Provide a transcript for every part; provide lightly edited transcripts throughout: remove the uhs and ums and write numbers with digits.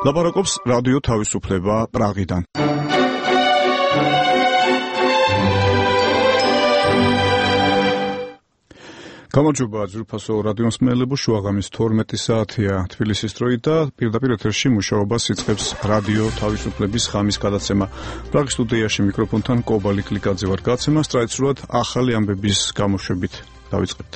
ლაპარაკობს რადიო თავისუფლება პრაღიდან. გამარჯობა ძვირფასო რადიოს მსმენელებო, შუაღამის 12 საათია თბილისის დროით და პირდაპირ ეთერში მუშაობას იწყებს რადიო თავისუფლების ხამის გადაცემა. პრაღის სტუდიაში მიკროფონთან კობალი კლიკაძე ვარ. გადაცემა ტრადიციულად ახალი ამბების გამოშვებით დავიწყებთ.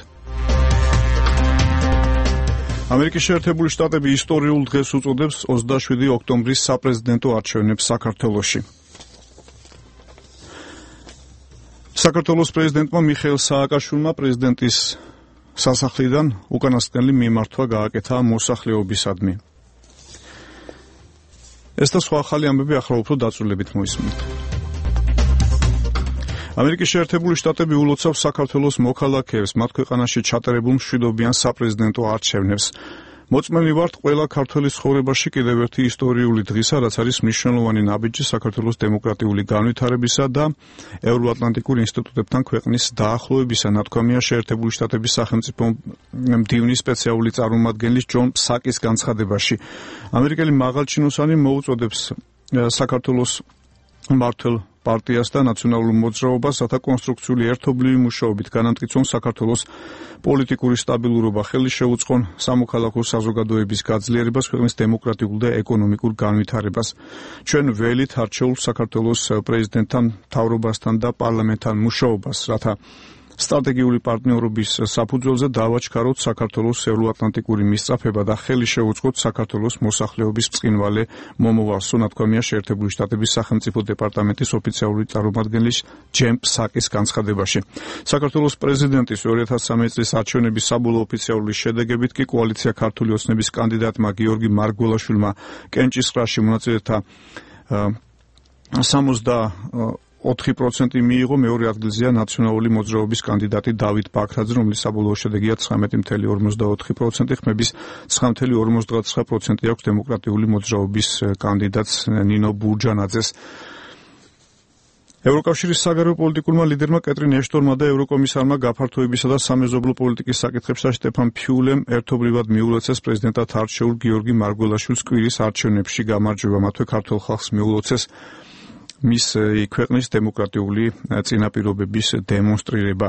ამერიკის შეერთებული შტატები ისტორიულ დღეს უწოდებს 27 ოქტომბრის საპრეზიდენტო არჩევნებს საქართველოში. საქართველოს პრეზიდენტმა მიხეილ სააკაშვილმა პრეზიდენტის სასახლიდან უკანასკნელი მიმართვა გააკეთა მოსახლეობისადმი. ეს და სხვა ახალი ამბები ახლა უფრო დაწვრილებით მოისმენთ. ამერიკის შეერთებული შტატები ულოცავს საქართველოს მოქალაქეებს მათ ქვეყანაში ჩატარებულ მშვიდობიან საპრეზიდენტო არჩევნებს. მოწმენი ვართ ყველა ქართველის ცხოვრებაში კიდევ ერთი ისტორიული დღისა, რაც არის მნიშვნელოვანი ნაბიჯი საქართველოს დემოკრატიული განვითარებისა და ევროატლანტიკურ ინსტიტუტებთან ქვეყნის დაახლოებისა, ნათქვამია შეერთებული შტატების სახელმწიფო მდივნის სპეციალური წარმომადგენლის ჯონ ფსაკის განცხადებაში. ამერიკელი მაღალჩინოსანი მოუწოდებს საქართველოს მმართველ პარტიას და ნაციონალურ მოძრაობას, რათა კონსტრუქციული ერთობლივი მუშაობით განამტკიცონ საქართველოს პოლიტიკური სტაბილურობა, ხელი შეუწყონ სამოქალაქო საზოგადოების გაძლიერებას, ქვეყნის დემოკრატიულ და ეკონომიკურ განვითარებას. ჩვენ ველით არჩეულ საქართველოს პრეზიდენტთან, მთავრობასთან და პარლამენტთან მუშაობას, რათა სტრატეგიული პარტნიორობის საფუძველზე დავაჩქაროთ საქართველოს ევროატლანტიკური მისწრაფება და ხელი შეუწყოთ საქართველოს მოსახლეობის ბრწყინვალე მომავალს, ნათქვამია შეერთებული შტატების სახელმწიფო დეპარტამენტის ოფიციალური წარმომადგენლის ჯენ ფსაკის განცხადებაში. საქართველოს პრეზიდენტის 2013 წლის არჩევნების საბოლოო ოფიციალური შედეგებით კი კოალიცია ქართული ოცნების კანდიდატმა გიორგი მარგველაშვილმა კენჭისყრაში მონაწილეთა 64% მიიღო, მეორე ადგილზეა ნაციონალური მოძრაობის კანდიდატი დავით ბაქრაძე, რომლის საბოლოო შედეგია 19.44%, ხმების 9.59% აქვს დემოკრატიული მოძრაობის კანდიდატს ნინო ბურჯანაძეს. ევროკავშირის საგარეო პოლიტიკურმა ლიდერმა კეტრინ ეშტონმა და ევროკომისარმა გაფართოებისა და სამეზობლო პოლიტიკის საკითხებში სტეფან ფიულემ ერთობლივად მიულოცეს პრეზიდენტად არჩეულ გიორგი მარგველაშვილს კვირის არჩევნებში გამარჯვება, მათვე ქართულ ხალხს მიულოცეს მის ქვეყნის დემოკრატიული წინაპირობების დემონსტრირება.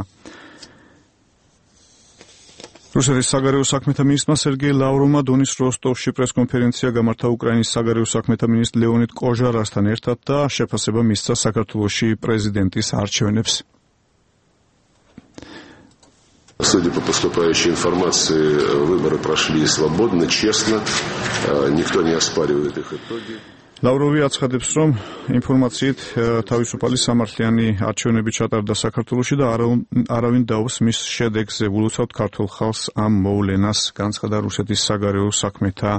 რუსეთის საგარეო საქმეთა მინისტრმა სერგეი ლავროვმა დონის როსტოვში პრესკონფერენცია გამართა უკრაინის საგარეო საქმეთა მინისტრ ლეონიდ კოჟარასთან ერთად და შეფასება მისცა საქართველოში პრეზიდენტის არჩევნებს. Судя по поступающей информации, выборы прошли свободно, честно, никто не оспаривает их итоги. ლავროვი აცხადებს, რომ ინფორმაციით თავისუფალი სამართლიანი არჩევნები ჩატარდა საქართველოში და არავინ დაობს მის შედეგზე. ულოცავთ ქართულ ხალხს ამ მოვლენას, განცხადა რუსეთის საგარეო საქმეთა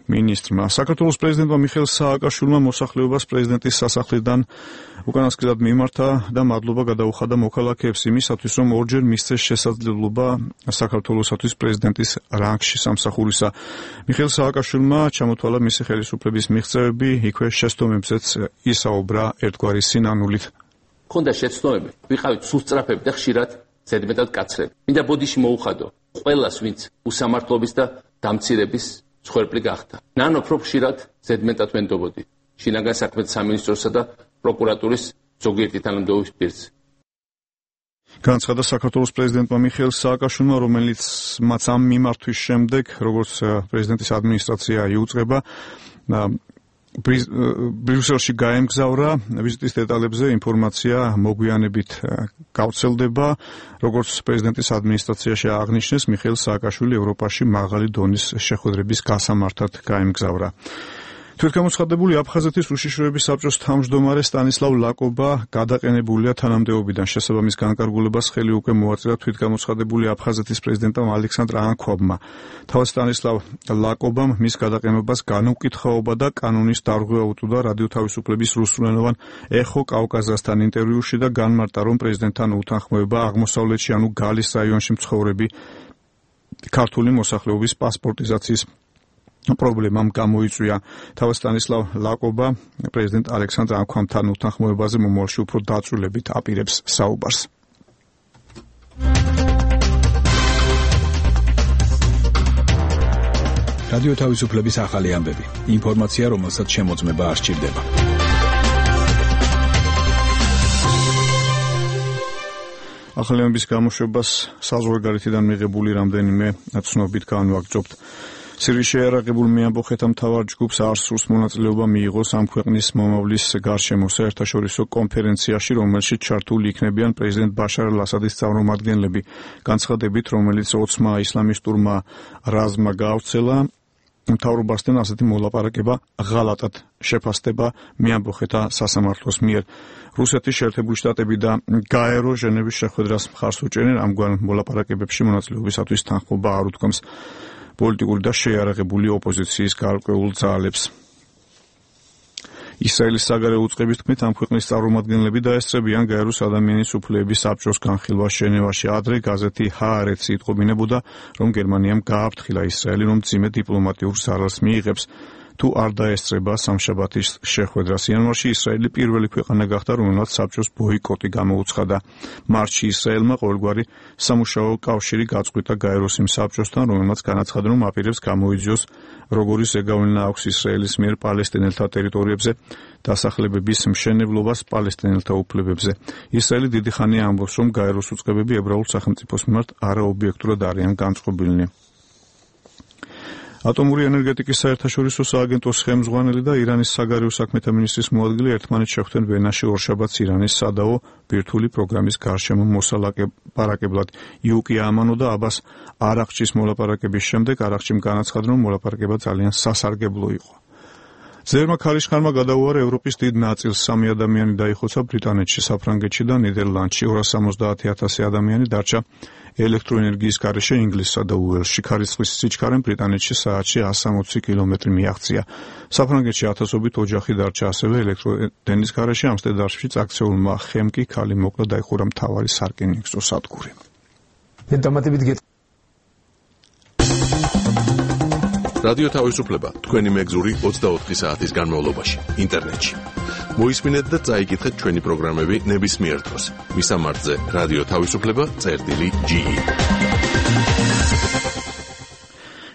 მინისტრმა. საქართველოს პრეზიდენტმა მიხეილ სააკაშვილმა მოსახლეობას პრეზიდენტის სასახლიდან უკანასკნელად მიმართა და მადლობა გადაუხადა მოქალაქეებს იმისათვის, რომ ორჯერ მისცეს შესაძლებლობა საქართველოსათვის პრეზიდენტის რანგში სამსახურისა. მიხეილ სააკაშვილმა ჩამოთვალა მისი ხელისუფლების მიღწევები, იქვე შეცდომებზეც ისაუბრა ერთგვარი სინანულით. ქონდა შეცდომები, ვიყავით სუსწრაფები და ხშირად ზედმეტად კაცრები. მინდა ბოდიში მოუხადო ყველას, ვინც უსამართლობის და დამცირების მსხვერპლი გახდა. ნანო უფრო ხშირად ზედმეტად ვენდობოდი შინაგან საქმეთა სამინისტროსა და პროკურატურის ზოგიერთი თანამდებობის პირზე. განცხადა საქართველოს პრეზიდენტმა მიხეილ სააკაშვილმა, რომელიც მათ ამ მიმართვის შემდეგ, როგორც პრეზიდენტის ადმინისტრაცია იუწყება, ბრიუსელში გაემგზავრა. ვიზიტის დეტალებზე ინფორმაცია მოგვიანებით გავრცელდება. როგორც პრეზიდენტის ადმინისტრაციაში აღნიშნეს, მიხეილ სააკაშვილი ევროპაში მაღალი დონის შეხვედრების გასამართად გაემგზავრა. თვითგამოცხადებული აფხაზეთის უშიშროების საბჭოს თავმჯდომარე სტანისლავ ლაკობა გადაყენებულია თანამდებობიდან. შესაბამის განკარგულებას ხელი უკვე მოაწერა თვითგამოცხადებული აფხაზეთის პრეზიდენტამ ალექსანდრ ანქვაბმა. თავად სტანისლავ ლაკობამ მის გადაყენებას განუკითხაობა და კანონის დარღვევა უთუდა რადიო თავისუფლების რუსულენოვან ეხო კავკაზასთან ინტერვიუში და განმარტა, რომ პრეზიდენტთან უთანხმოება აღმოსავლეთში, ანუ გალის რაიონში მცხოვრები ქართული მოსახლეობის პასპორტიზაციის პრობლემამ გამოიწვია. თავად სტანისლავ ლაკობა პრეზიდენტ ალექსანდრ ანქვაბთან უთანხმოებაზე მომავალში უფრო დაწვრილებით აპირებს საუბარს. რადიო თავისუფლების ახალი ამბები. ინფორმაცია, რომელსაც შემოწმება არ სჭირდება. ახალი ამბების გამოშვებას საზღვარგარეთიდან მიღებული რამდენიმე ცნობით განვაგრძობთ. სირიის შეიარაღებულ მეამბოხეთა მთავარ ჯგუფს არ სურს მონაწილეობა მიიღოს ამ ქვეყნის მომავლის გარშემო საერთაშორისო კონფერენციაში, რომელშიც ჩართული იქნებიან პრეზიდენტ ბაშარ ალ-ასადის წარმომადგენლები. განცხადებით, რომელიც 20 ისლამისტურმა რაზმმა გაავრცელა, მთავრობასთან ასეთი მოლაპარაკება ღალატად შეფასდება მეამბოხეთა სასამართლოს მიერ. რუსეთის შეერთებული შტატები და გაერო ჟენევის შეხვედრას მხარს უჭერენ ამგვარ მოლაპარაკებებში მონაწილეობისათვის თანხმობა არ უთქვამს პოლიტიკური და შეიარაღებული ოპოზიციის გარკვეულ ძალებს. ისრაელის საგარეო უწყების თქმით, ამ ქვეყნის წარმომადგენლები დაესწრებიან გაეროს ადამიანის უფლებების საბჭოს განხილვას ჟენევაში. ადრე გაზეთი ჰაარეცი იტყობინებოდა, რომ გერმანიამ გააფრთხილა ისრაელი, რომ მძიმე დიპლომატიურ ზარალს მიიღებს, თუ არ დაესწრება სამშაბათის შეხვედრას. იანვარში ისრაელი პირველი ქვეყანა გახდა, რომელმაც საბჭოს ბოიკოტი გამოუცხადა. მარტში ისრაელმა ყოველგვარი სამუშაო კავშირი გაწყვიტა გაეროს იმ საბჭოსთან, რომელმაც განაცხადა, რომ აპირებს გამოიძიოს როგორი ზეგავლენა აქვს ისრაელის მიერ პალესტინელთა ტერიტორიებზე დასახლებების მშენებლობას პალესტინელთა უფლებებზე. ისრაელი დიდი ხანია ამბობს, რომ გაეროს უწყებები ებრაულ სახელმწიფოს მიმართ არაობიექტურად არიან განწყობილნი. ატომური ენერგეტიკის საერთაშორისო სააგენტოს ხელმძღვანელი და ირანის საგარეო საქმეთა მინისტრის მოადგილე ერთმანეთს შეხვდნენ ვენაში ორშაბათს ირანის სადაო ბირთვული პროგრამის გარშემო მოსალაპარაკებლად. იუკია ამანო და აბას არაღჩის მოლაპარაკების შემდეგ არაღჩიმ განაცხადა, რომ მოლაპარაკება ძალიან სასარგებლო იყო. ზერმა ქარიშხალმა გადაუარა ევროპის დიდ ნაწილს. 3 ადამიანი დაიხოცა ბრიტანეთში, საფრანგეთში და ნიდერლანდში. 270,000 ადამიანი დარჩა ელექტროენერგიის გარეშე ინგლისსა და უელსში. ქარისხლის სიჩქარემ ბრიტანეთში საათში 160 კილომეტრი მიაღწია. საფრანგეთში ათასობით ოჯახი დარჩა ასევე ელექტროენერგიის გარეშე. ამსტერდამშიც აქციურმა ხემკი ქალი მოკლა დაიხურა მთავარი სარკინიგზო სადგური. რადიო თავისუფლება თქვენი მეგზური 24 საათის განმავლობაში ინტერნეტში. მოისმინეთ და წაიკითხეთ ჩვენი პროგრამები ნებისმიერ დროს. მისამართზე რადიო თავისუფლება.ge.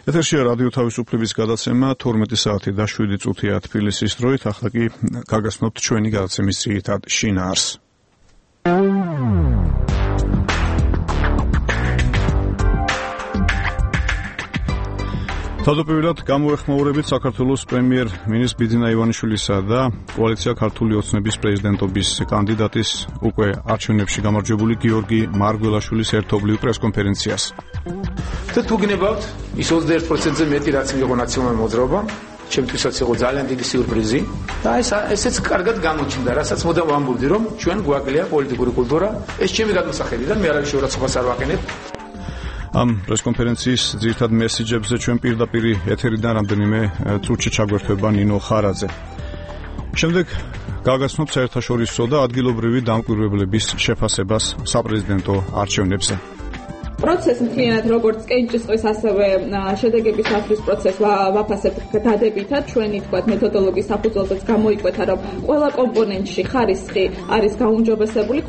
ეთერშია რადიო თავისუფლების გადაცემა 12 საათი და 7 წუთია თბილისის დროით. ახლა კი გაგაცნობთ ჩვენი გადაცემის ძირითად შინაარსს. თავდაპირველად გამოეხმაურებით საქართველოს პრემიერ-მინისტრ ბიძინა ივანიშვილისა და კოალიცია ქართული ოცნების პრეზიდენტობის კანდიდატის უკვე არჩევნებში გამარჯვებული გიორგი მარგველაშვილის ერთობლივ პრესკონფერენციას. თუ გნებავთ ის 21%-ზე მეტი რაც მიიღო ნაციონალური მოძრაობა, ჩემთვისაც იყო ძალიან დიდი სიურპრიზი და ესეც კარგად გამოჩნდა, რასაც მოდამ ვამბობდი, რომ ჩვენ გვაკლია პოლიტიკური კულტურა, ეს ჩემი გადმოსახედიდან მე არავის შეურაცხყოფას არ ვაყენებ. ამ პრესკონფერენციის ძირითად მესიჯებზე ჩვენ პირდაპირ ეთერიდან რამდენიმე წუთში ჩაგვერთვება ნინო ხარაძე. შემდეგ გაგაცნობთ საერთაშორისო და ადგილობრივი დამკვირვებლების შეფასებას საპრეზიდენტო არჩევნებზე. პროცესი მთლიანად როგორც კენჭისყრის ასევე შედეგების ასვლის პროცესს ვაფასებთ დადებითად. ჩვენი თქვათ მეთოდოლოგიის საფუძველზეც გამოიკვეთა, რომ ყველა კომპონენტში ხარისხი არის გაუმჯობესებული.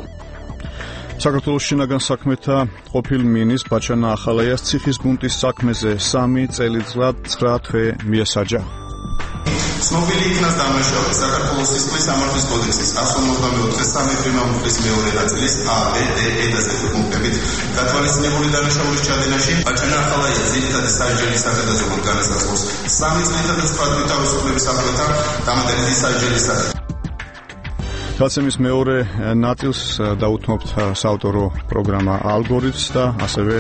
საქართველოს შინაგან საქმეთა ყოფილ მინისტრ ბაჩანა ახალაიას ციხის ბუნტის საქმეზე 3 წელიწად 9 თვე მიესაჯა. ცნობილი იქნას დამნაშავე საქართველოს სისხლის სამართლის კოდექსის 154 პრიმამულის მეორე ნაწილის A, B, D, E და Z პუნქტებით გათვალისწინებული დანაშაულის ჩადენაში ბაჩანა ახალაია ძირითადი სასჯელის საკადაზოგოდ განასახოს 3 წლისა და სხვა თვით თავისუფლების აფროთა დამატებითი სასჯელის სახით. გადაცემის მეორე ნაწილს დაუთმობთ საავტორო პროგრამა ალგორითმს და ასევე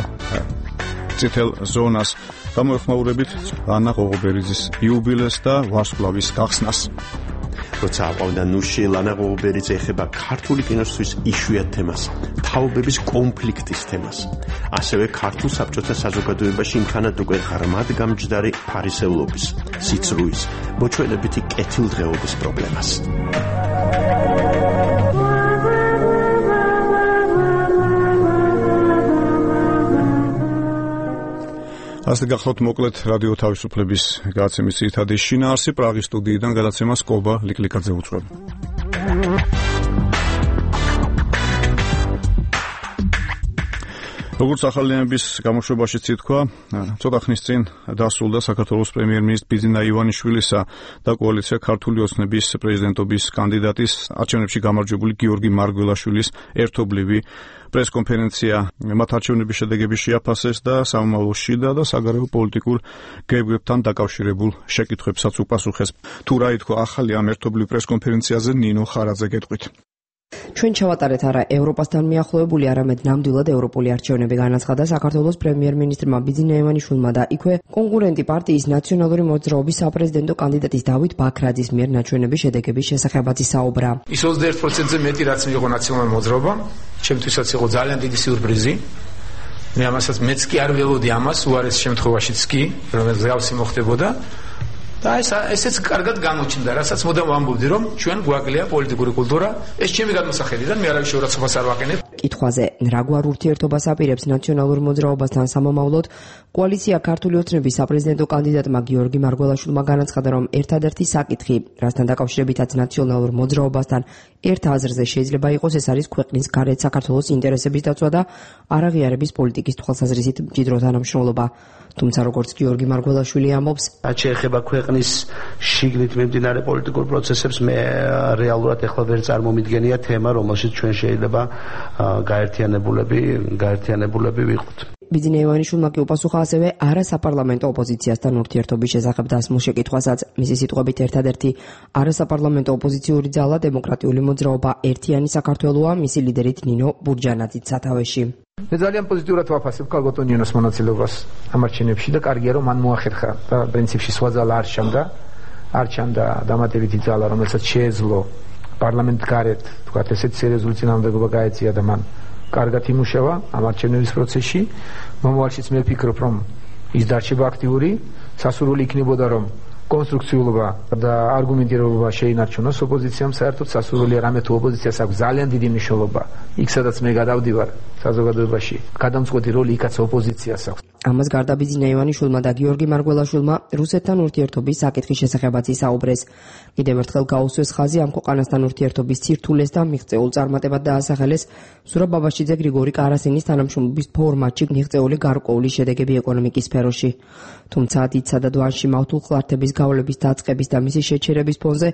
წითელ ზონას. გამოეხმაურებით ანა ღოღობერიძის იუბილეს და ვარსკვლავის გახსნას. როცა აყვავდა ნუში, ლანა ღოღობერიძე ეხება ქართული კინოსთვის იშვიათ თემას, თაობების კონფლიქტის თემას. ასევე ქართულ საბჭოთა საზოგადოებაში იმხანად უკვე ღრმად გამჯდარი ფარისევლობის, სიცრუის, მოჩვენებითი კეთილდღეობის პრობლემას. ასე გახლავთ მოკლედ რადიო თავისუფლების გადაცემის ძირითადი შინაარსი. პრაღის სტუდიიდან გადაცემას კობა ლიკლიკაძე უძღვება. როგორც ახალიანების გამოშვებაში ითქვა, ცოტა ხნის წინ დასრულდა საქართველოს პრემიერ-მინისტრის ბიძინა ივანიშვილისა და კოალიცია ქართული ოცნების პრეზიდენტობის კანდიდატის არჩევნებში გამარჯვებული გიორგი მარგველაშვილის ერთობლივი პრესკონფერენცია. მათ არჩევნების შედეგები შეაფასეს და სამომავლო შიდა და საგარეო პოლიტიკურ გეგმებთან დაკავშირებულ შეკითხვებსაც უპასუხეს. თუ რა ითქვა ახალი ამ ერთობლივ პრესკონფერენციაზე, ნინო ხარაძე გეტყვით. ჩვენ ჩავატარეთ არა ევროპასთან მიახლოებული, არამედ ნამდვილად ევროპული არჩევნები, განაცხადა საქართველოს პრემიერ-მინისტრმა ბიძინა ივანიშვილმა და იქვე კონკურენტი პარტიის ნაციონალური მოძრაობის საპრეზიდენტო კანდიდატის დავით ბაქრაძის მიერ ნაჩვენების შედეგების შესახებაც ისაუბრა. ის 21%-ზე მეტი რაც მიიღო ნაციონალური მოძრაობა, ჩემთვისაც იყო ძალიან დიდი სიურპრიზი. მე ამასაც მეც კი არ ველოდი ამას, უარეს შემთხვევაშიც კი, რომ ზავსი მოხდებოდა. და ესეც კარგად გამოჩნდა, რასაც მოდამ ვამბობდი, რომ ჩვენ გვაკლია პოლიტიკური კულტურა, ეს ჩემი გადმოსახედიდან, მე არავის შეურაცხყოფას არ ვაყენებ. კითხვაზე, რა გვარ ურთიერთობას აპირებს ნაციონალურ მოძრაობასთან სამომავლოდ, კოალიცია ქართული ოცნების საპრეზიდენტო კანდიდატმა გიორგი მარგველაშვილმა განაცხადა, რომ ერთადერთი საკითხი, რასთან დაკავშირებითაც ნაციონალურ მოძრაობასთან ერთ აზრზე შეიძლება იყოს, ეს არის ქვეყნის გარეთ საქართველოს ინტერესების დაცვა და არაღიარების პოლიტიკის თვალსაზრისით მჭიდრო თანამშრომლობა. თუმცა როგორც გიორგი მარგველაშვილი ამბობს, რაც შეეხება ქვეყნის შიგნით მიმდინარე პოლიტიკურ პროცესებს, მე რეალურად ეხლა ვერ წარმომიდგენია თემა, რომელშიც ჩვენ შეიძლება გაერთიანებულები ვიყოთ. ბიძინა ივანიშვილმა კი უპასუხა ასევე არასაპარლამენტო ოპოზიციასთან ურთიერთობის შესახებ დასმულ შეკითხვასაც. მისი სიტყვებით, ერთადერთი არასაპარლამენტო ოპოზიციური ძალა დემოკრატიული მოძრაობა ერთიანი საქართველოა, მისი ლიდერით ნინო ბურჯანაძით სათავეში. მე ძალიან პოზიტიურად ვაფასებ ქალბატონ ნინოს მონაწილეობას ამ არჩევნებში და კარგია რომ მან მოახერხა და პრინციპში სხვა ძალა არ ჩანდა დამატებითი ძალა, რომელსაც შეეძლო პარლამენტ გარეთ, თქვათ ესეთ სერიოზული წინააღმდეგობა გაეწია და მან კარგად იმუშავა ამ არჩევნების პროცესში. მომავალშიც მე ვფიქრობ, რომ ის დარჩება აქტიური, სასურველი იქნებოდა რომ კონსტრუქციულობა და არგუმენტირებობა შეინარჩუნოს ოპოზიციამ, საერთოდ სასურველია რამე თუ ოპოზიციას აქვს ძალიან დიდი მნიშვნელობა. იქ სადაც მე გადავდივარ საზოგადოებაში, გადამწყვეტი როლი იქაც ოპოზიციას აქვს. ამას გარდა ბიძინა ივანიშვილმა და გიორგი მარგველაშვილმა რუსეთთან ურთიერთობის საკითხის შესახებაც ისაუბრეს. კიდევ ერთხელ გაუსვეს ხაზი ამ ქვეყანასთან ურთიერთობის ცირთულეს და მიღწეულ წარმატებად დაასახელეს სურაბ ბაბაშიძე გრიგორი კარასინის თანამშრომლობის ფორმატში მიღწეული გარკვეული შედეგები ეკონომიკის სფეროში. თუმცა დიდსა და დვანში მავთულ ხლართების გავლების დაწყების და მისი შეჩერების ფონზე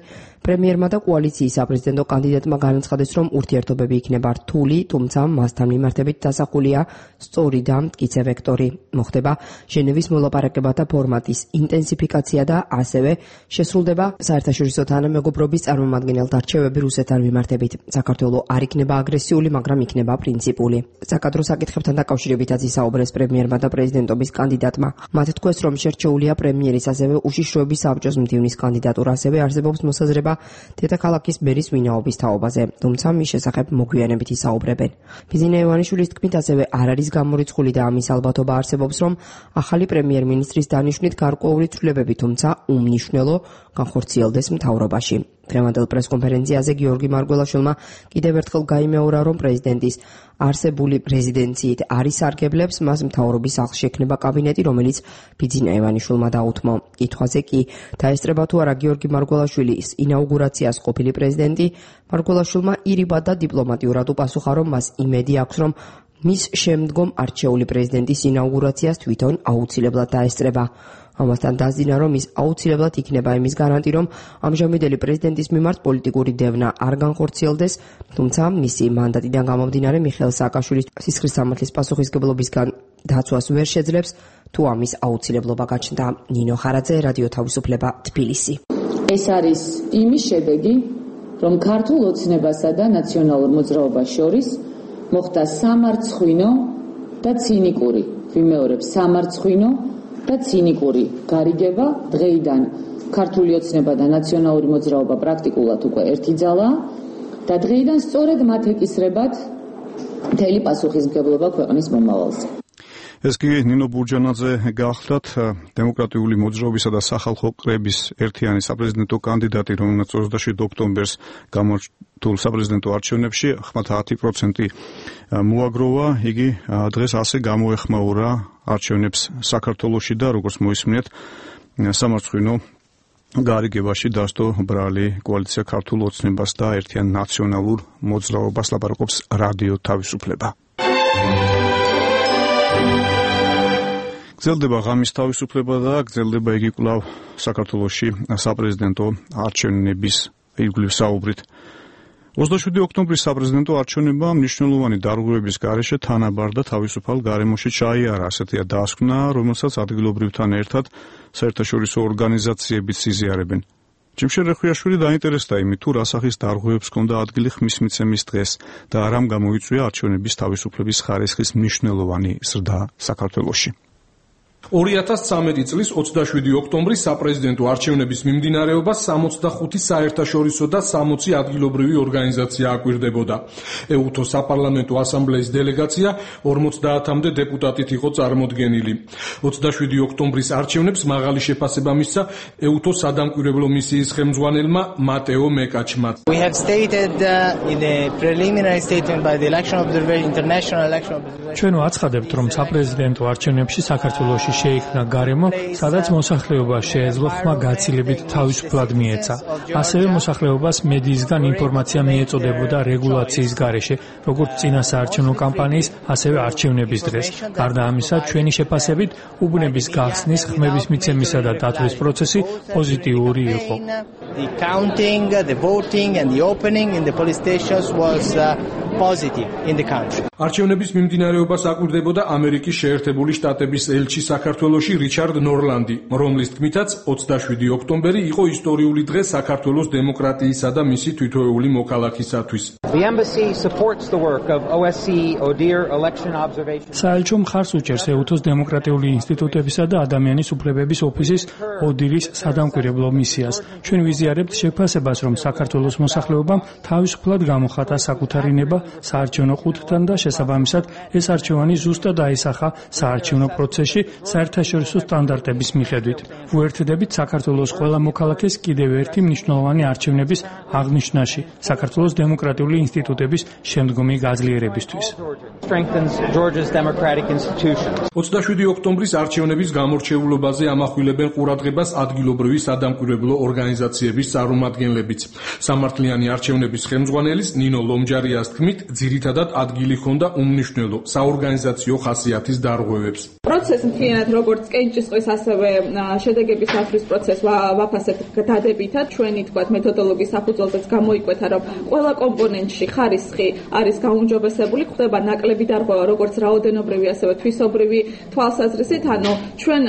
პრემიერმა და კოალიციის საპრეზიდენტო კანდიდატმა განაცხადეს, რომ ურთიერთობები იქნება რთული, თუმცა მასთან მიმართებით დასახულია სწორი და მტკიცე ვექტორი. მოხდება ჟენევის მოლაპარაკებათა ფორმატის ინტენსიფიკაცია და ასევე შესრულდება საერთაშორისო თანამეგობრობის წარმომადგენელთა რჩევები რუსეთთან მიმართებით. საქართველოს არ იქნება აგრესიული, მაგრამ იქნება პრინციპული. საკადრო საკითხებთან დაკავშირებითაც ისაუბრეს პრემიერმა და პრეზიდენტობის კანდიდატმა. მათ თქვეს, რომ შერჩეულია პრემიერის ასევე უშიშროების საბჭოს მდივნის კანდიდატურა, ასევე არსებობს მოსაზრება დედაქალაქის მერის ვინაობის თაობაზე, თუმცა მის შესახებ მოგვიანებით ისაუბრებენ. ბიძინა ივანიშვილის თქმით, ასევე არ არის გამორიცხული და ამის ალბათობა არსებობს, რომ ახალი პრემიერ-მინისტრის დანიშვნით გარკვეული ცვლილებები, თუმცა უმნიშვნელო განხორციელდეს მთავრობაში. დღევანდელ პრესკონფერენციაზე გიორგი მარგველაშვილმა კიდევ ერთხელ გაიმეორა, რომ პრეზიდენტის არსებული რეზიდენციით არ ისარგებლებს, მას მთავრობის სახლში ექნება კაბინეტი, რომელიც ბიძინა ივანიშვილმა დაუთმო. კითხვაზე კი დაესწრება თუ არა გიორგი მარგველაშვილის ინაუგურაციას ყოფილი პრეზიდენტი, მარგველაშვილმა ირიბად და დიპლომატიურად უპასუხა, რომ მას იმედი აქვს, რომ მის შემდგომ არჩეული პრეზიდენტის ინაუგურაციას თვითონ აუცილებლად დაესწრება. ამასთან დასძინა, რომ ის აუცილებლად იქნება იმის გარანტი, რომ ამჟამინდელი პრეზიდენტის მიმართ პოლიტიკური დევნა არ განხორციელდეს, თუმცა მისი მანდატიდან გამომდინარე მიხეილ სააკაშვილის სისხლის სამართლის პასუხისმგებლობისგან დაცვას ვერ შეძლებს, თუ ამის აუცილებლობა გაჩნდა. ნინო ხარაძე, რადიო თავისუფლება, თბილისი. ეს არის იმის შედეგი, რომ ქართულ ოცნებასა და ნაციონალურ მოძრაობას შორის მოხდა სამარცხვინო და ცინიკური, ვიმეორებ, სამარცხვინო და ცინიკური გარიგება. დღეიდან ქართული ოცნება და ნაციონალური მოძრაობა პრაქტიკულად უკვე ერთი ძალაა და დღეიდან სწორედ მათ ეკისრებათ მთელი პასუხისმგებლობა ქვეყნის მომავალზე. ეს კი ნინო ბურჯანაძე გახლდათ დემოკრატიული მოძრაობისა და სახალხო კრების ერთიანი საპრეზიდენტო კანდიდატი, რომელმაც 27 ოქტომბერს გამართულ საპრეზიდენტო არჩევნებში 90% მოაგროვა. იგი დღეს ასე გამოეხმაურა არჩევნებს საქართველოში და როგორც მოისმინეთ, სამარცხვინო გარიგებაში დასდო ბრალი კოალიცია ქართულ ოცნებას და ერთიან ნაციონალურ მოძრაობას. ლაპარაკობს რადიო თავისუფლება. გრძელდება ღამის თავისუფლება და გრძელდება იგი კვლავ საქართველოში საპრეზიდენტო არჩევნების ირგვლივ საუბრით. 27 ოქტომბრის საპრეზიდენტო არჩევნებმა მნიშვნელოვანი დარღვევების გარეშე თანაბარ და თავისუფალ გარემოში ჩაიარა, ასეთია დასკვნა, რომელსაც ადგილობრივთან ერთად საერთაშორისო ორგანიზაციებიც იზიარებენ. ჯიმშე რეხვიაშვილი დაინტერესდა იმით, თუ რა სახის დარღვევებს ჰქონდა ადგილი ხმის მიცემის დღეს და რამ გამოიწვია არჩევნების თავისუფლების ხარისხის მნიშვნელოვანი ზრდა საქართველოში. 2013 წლის 27 ოქტომბრის საპრეზიდენტო არჩევნების მიმდინარეობას 65 საერთაშორისო და 60 ადგილობრივი ორგანიზაცია აკვირდებოდა. ეუთო საპარლამენტო ასამბლეის დელეგაცია 50-მდე დეპუტატით იყო წარმოდგენილი. 27 ოქტომბრის არჩევნებს მაღალი შეფასება მისცა ეუთო სადამკვირვებლო მისიის ხელმძღვანელმა მატეო მეკაჩმა. We have stated in a preliminary statement by the election observer international election observer. ჩვენ ვაცხადებთ, რომ საპრეზიდენტო არჩევნებში საქართველოში შეიქმნა გარემო, სადაც მოსახლეობა შეეძლო ხმა გაცილებით თავისუფლად მიეცა. ასევე მოსახლეობას მედიისგან ინფორმაცია მიეწოდებოდა რეგულაციის გარეშე, როგორც წინა საარჩევნო კამპანიის, ასევე არჩევნების დღეს. გარდა ამისა, ჩვენი შეფასებით, უბნების გახსნის, ხმების მიცემისა და დათვლის პროცესი პოზიტიური იყო. The counting, the voting and the opening in the police stations was positive in the country. არჩევნების მიმდინარეობას აკვირდებოდა ამერიკის შეერთებული შტატების ელჩი საქართველოში რიჩარდ ნორლანდი, რომლის თქმითაც 27 ოქტომბერი იყო ისტორიული დღე საქართველოს დემოკრატიისა და მისი თითოეული მოქალაქისათვის. The embassy supports the work of OSCE ODIHR election observation. საელჩო მხარს უჭერს ეუთოს დემოკრატიული ინსტიტუტებისა და ადამიანის უფლებების ოფისის ODIHR-ის სადამკვირვებლო მისიას. ჩვენ ვიზიარებთ შეფასებას, რომ საქართველოს მოსახლეობამ თავისუფლად გამოხატა საკუთარი ნება საარჩევნო ყუთთან და შესაბამისად ეს არჩევანი ზუსტად აისახა საარჩევნო პროცესში საერთაშორისო სტანდარტების მიხედვით. ვუერთდებით საქართველოს ყველა მოქალაქეს კიდევ ერთი მნიშვნელოვანი არჩევნების აღნიშვნაში, საქართველოს დემოკრატიული ინსტიტუტების შემდგომი გაძლიერებისთვის. 27 ოქტომბრის არჩევნების გამორჩეულობაზე ამახვილებენ ყურადღებას ადგილობრივი სადამკვირვებლო ორგანიზაციების წარმომადგენლებიც. სამართლიანი არჩევნების ხელმძღვანელის ნინო ლომჯარიას თქმით, ძირითადად ადგილი ჰქონდა უმნიშვნელო საორგანიზაციო ხასიათის დარღვევებს. პროცესი მთლიანად როგორც კენჭისყრის, ასევე შედეგების დათვლის პროცესს ვაფასებთ დადებითად. ჩვენი თქვათ მეთოდოლოგიის საფუძველზეც გამოიკვეთა, რომ ყველა კომპონენტში ხარისხი არის გაუმჯობესებული, ხდება ნაკლები დარღვევა, როგორც რაოდენობრივი, ასევე თვისობრივი თვალსაზრისით. ანუ ჩვენ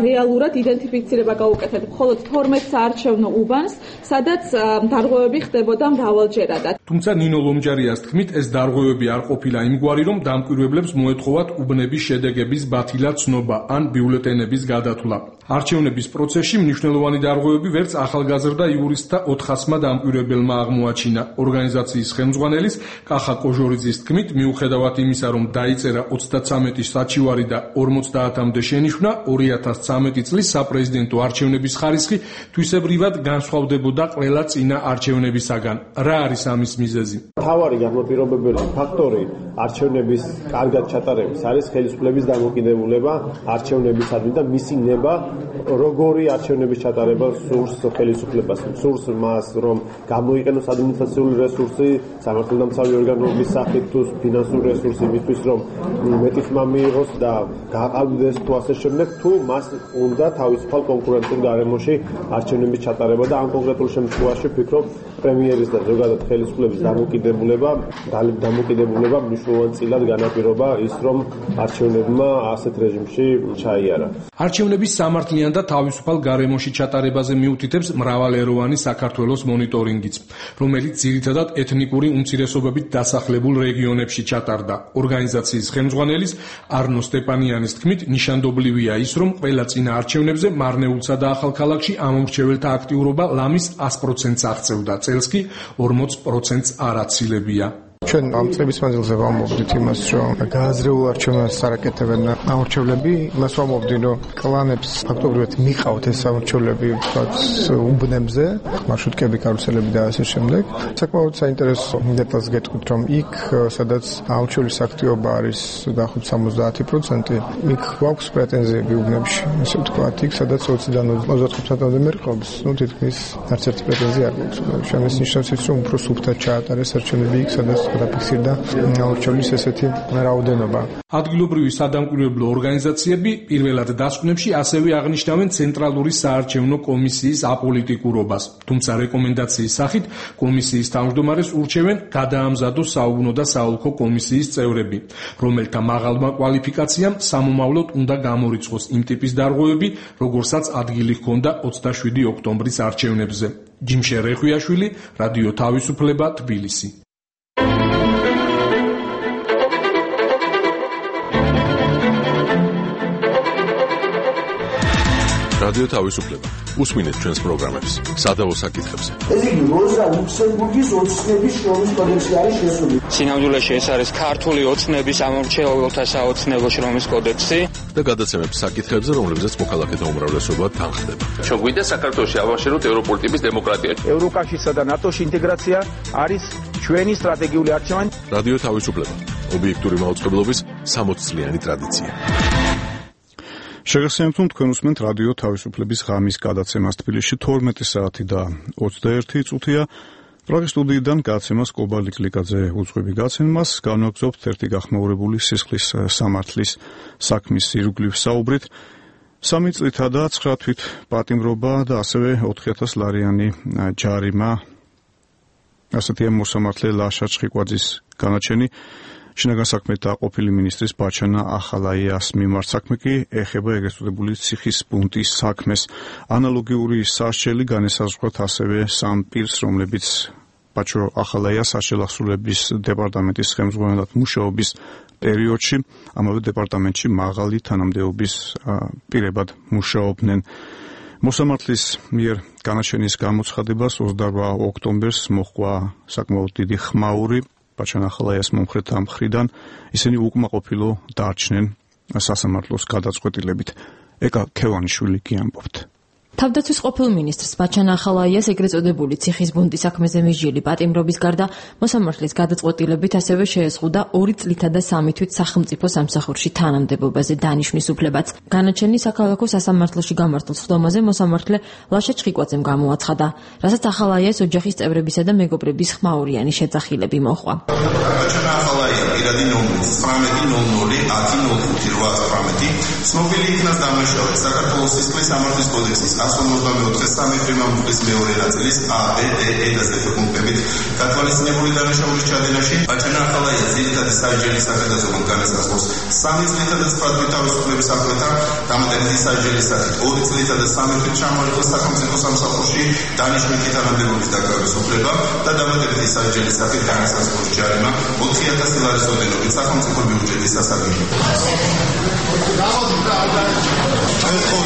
რეალურად იდენტიფიცირება გავუკეთეთ მხოლოდ 12 საარჩევნო უბანს, სადაც დარღვევები ხდებოდა მრავალჯერადად. თუმცა ნინო ლომჯარიას თქმით, ეს დარღვევები არ ყოფილა იმგვარი, რომ დამკვირვებლებს მოეთხოვათ უბნების შედეგების ბათილად ცნობა ან ბიულეტენების გადათვლა. არჩევნების პროცესში მნიშვნელოვანი დარღვევები ვერც ახალგაზრდა იურისტთა 400-მა დამკვირვებელმა აღმოაჩინა. ორგანიზაციის ხელმძღვანელის კახა კოჟორიძის თქმით, მიუხედავად იმისა, რომ დაიწერა 33 საჩივარი და 50-მდე შენიშვნა, 2013 წლის საპრეზიდენტო არჩევნების ხარისხი თვისებრივად განსხვავდებოდა ყველა წინა არჩევნებისაგან. რა არის ამის მიზეზი? მთავარი განმაპირობებელი ფაქტორი არჩევნების კარგად ჩატარების არის ხელისუფლების დამოკიდებულება არჩევნებისადმი და მისი ნება, როგორი არჩევნების ჩატარება სურს ხელისუფლებას. სურს მას, რომ გამოიყენოს ადმინისტრაციული რესურსი, სამართალდამცავი ორგანოების სახით თუ ფინანსური რესურსი იმისთვის, რომ მეტი ხმა მიიღოს და გაყავდეს თუ ასე შემდეგ, თუ მას უნდა თავისუფალ კონკურენციულ გარემოში არჩევნების ჩატარება და ამ კონკრეტულ შემთხვევაში ვფიქრობ, პრემიერის და ზოგადად ხელისუფლების დამოკიდებულება მნიშვნელოვანწილად განაპირობა ის, რომ არჩევნებმა ასეთ რეჟიმში ჩაიარა. არჩევნების სამართლიან და თავისუფალ გარემოში ჩატარებაზე მიუთითებს მრავალეროვანი საქართველოს მონიტორინგიც, რომელიც ძირითადად ეთნიკური უმცირესობებით დასახლებულ რეგიონებში ჩატარდა. ორგანიზაციის ხელმძღვანელის არნო სტეპანიანის თქმით, ნიშანდობლივია ის, რომ ყველა წინა არჩევნებზე მარნეულსა და ახალქალაქში ამომრჩეველთა აქტიურობა ლამის 100%-ს აღწევდა. წელს კი 40%-ს არ აცილებია. ჩვენ ამ წლების მანძილზე ვამოვდით იმას, რომ გააზრეულ არჩევნებს არაკეთებენ ამორჩევლები, იმას ვამოვდით, რომ კლანებს ფაქტობრივად მიყავთ ეს ამორჩევლები უბნებზე, მარშრუტკები, კარუსელები და ასე შემდეგ. საკმაოდ საინტერესო დეტალს გეტყვით, რომ იქ, სადაც ამორჩევლის აქტივობა არის დაახლოებით 70%, იქ გვაქვს პრეტენზიები უბნებში, ასე ვთქვათ, იქ, სადაც 20-დან 25%-მდე მერყობს, თითქმის არც ერთი პრეტენზია არ გვაქვს. ჩვენ ეს ნიშნავს ის, რომ უფრო სუფთად ჩაატარეს არჩევნები იქ, სადაც გადაფიქსირდა ამორჩევლის ესეთი რაოდენობა. ადგილობრივი სადამკვირვებლო ორგანიზაციები პირველად დასკვნებში ასევე აღნიშნავენ ცენტრალური საარჩევნო კომისიის აპოლიტიკურობას. თუმცა რეკომენდაციის სახით კომისიის თავმჯდომარეს ურჩევენ გადაამზადოს საუბნო და საოლქო კომისიის წევრები, რომელთა მაღალმა კვალიფიკაციამ სამომავლოდ უნდა გამორიცხოს იმ ტიპის დარღვევები, როგორსაც ადგილი ჰქონდა 27 ოქტომბრის არჩევნებზე. ჯიმშე რეხვიაშვილი, რადიო თავისუფლება, თბილისი. რადიო თავისუფლება. უსმინეთ ჩვენს პროგრამებს. სადავო საკითხებზე. ეს იგი როზა ლუქსემბურგის ოცნების შრომის კოდექსი არის შესული. სინამდვილეში ეს არის ქართული ოცნების ამორჩეულთა საოცნებო შრომის კოდექსი და გადაცემებს საკითხებზე, რომლებზეც მოქალაქეთა უმრავლესობა თანხდება. ჩვენ გვინდა საქართველოში ავაშენოთ ევროპული ტიპის დემოკრატია. ევროკავშირსა და ნატოში ინტეგრაცია არის ჩვენი სტრატეგიული არჩევანი. რადიო თავისუფლება. ობიექტური მაუწყებლობის 60 წლიანი ტრადიცია. შეგახსენებთ, რომ თქვენ უსმენთ რადიო თავისუფლების ღამის გადაცემას თბილისში 12 საათი და 21 წუთია. პრაღის სტუდიიდან გადაცემას კობალიკ ლიკაძე უძღვები გაცემას, განვაგრძობთ ერთი გახმაურებული სისხლის სამართლის საქმის ირგვლივ საუბრით. 3 წლითა და 9 თვით პატიმრობა და ასევე 4000 ლარიანი ჯარიმა. ასეთია მოსამართლე ლაშა ჩხიკვაძის განაჩენი. შინაგან საქმეთა ყოფილი მინისტრის ბაჩანა ახალაიას მიმართ საქმე კი ეხება ეგრეთ წოდებული ციხის პუნქტის საქმეს. ანალოგიური სასჯელი განესაზღვრათ ასევე სამ პირს, რომლებიც ბაჩო ახალაიას საშელახსოვრების დეპარტამენტის ხელმძღვანელად მუშაობის პერიოდში ამავე დეპარტამენტში მაღალი თანამდებობის პირებად მუშაობდნენ. მოსამართლის მიერ განაჩენის გამოცხადებას 28 ოქტომბერს მოჰყვა საკმაოდ დიდი ხმაური ბაჩანა ახალაიას მომხრეთა მხრიდან. ისინი უკმაყოფილო დარჩნენ სასამართლოს გადაწყვეტილებით. ეკა ქევანიშვილი კი ამბობთ. თავდაცვის ყოფილ მინისტრს ბაჩანა ახალაიას ეგრეთ წოდებული ციხის ბუნტის საქმეზე მიჟილი პატიმრობის გარდა მოსამართლის გადაწყვეტილებით ასევე შეეზღუდა 2 წლითა და 3 თვით სახელმწიფო სამსახურში თანამდებობაზე დანიშვნის უფლებაც. განაჩენი საქალაქო სასამართლოში გამართულ სხდომაზე მოსამართლე ლაშა ჩხიკვაძემ გამოაცხადა, რასაც ახალაიას ოჯახის წევრებისა და მეგობრების ხმაურიანი შეძახილები მოჰყვა. ბაჩანა ახალაია პირადი ნომერი 19.00.05.819 ცნობილი იქნას დამნაშავედ საქართველოს სისხლის სამართლის კოდექსის 154 პრიმამულის მეორე ნაწილის ა, ბ, დ, ე და ზ პუნქტებით გათვალისწინებული დანაშაულის ჩადენაში ბაჩანა ახალაია ძირითადი სასჯელის საკადაზომად განესაზღვროს 3 წლითა და 9 თვით თავისუფლების აღკვეთა, დამატებითი სასჯელის სახით 2 წლითა და 3 თვით ჩამოერთვა სახელმწიფო სამსახურში დანიშვნითი თანამდებობის დაკავების უფლება და დამატებითი სასჯელის სახით განესაზღვროს ჯარიმა 4000 ლარის ოდენობით სახელმწიფო ბიუჯეტის სასარგებლოდ.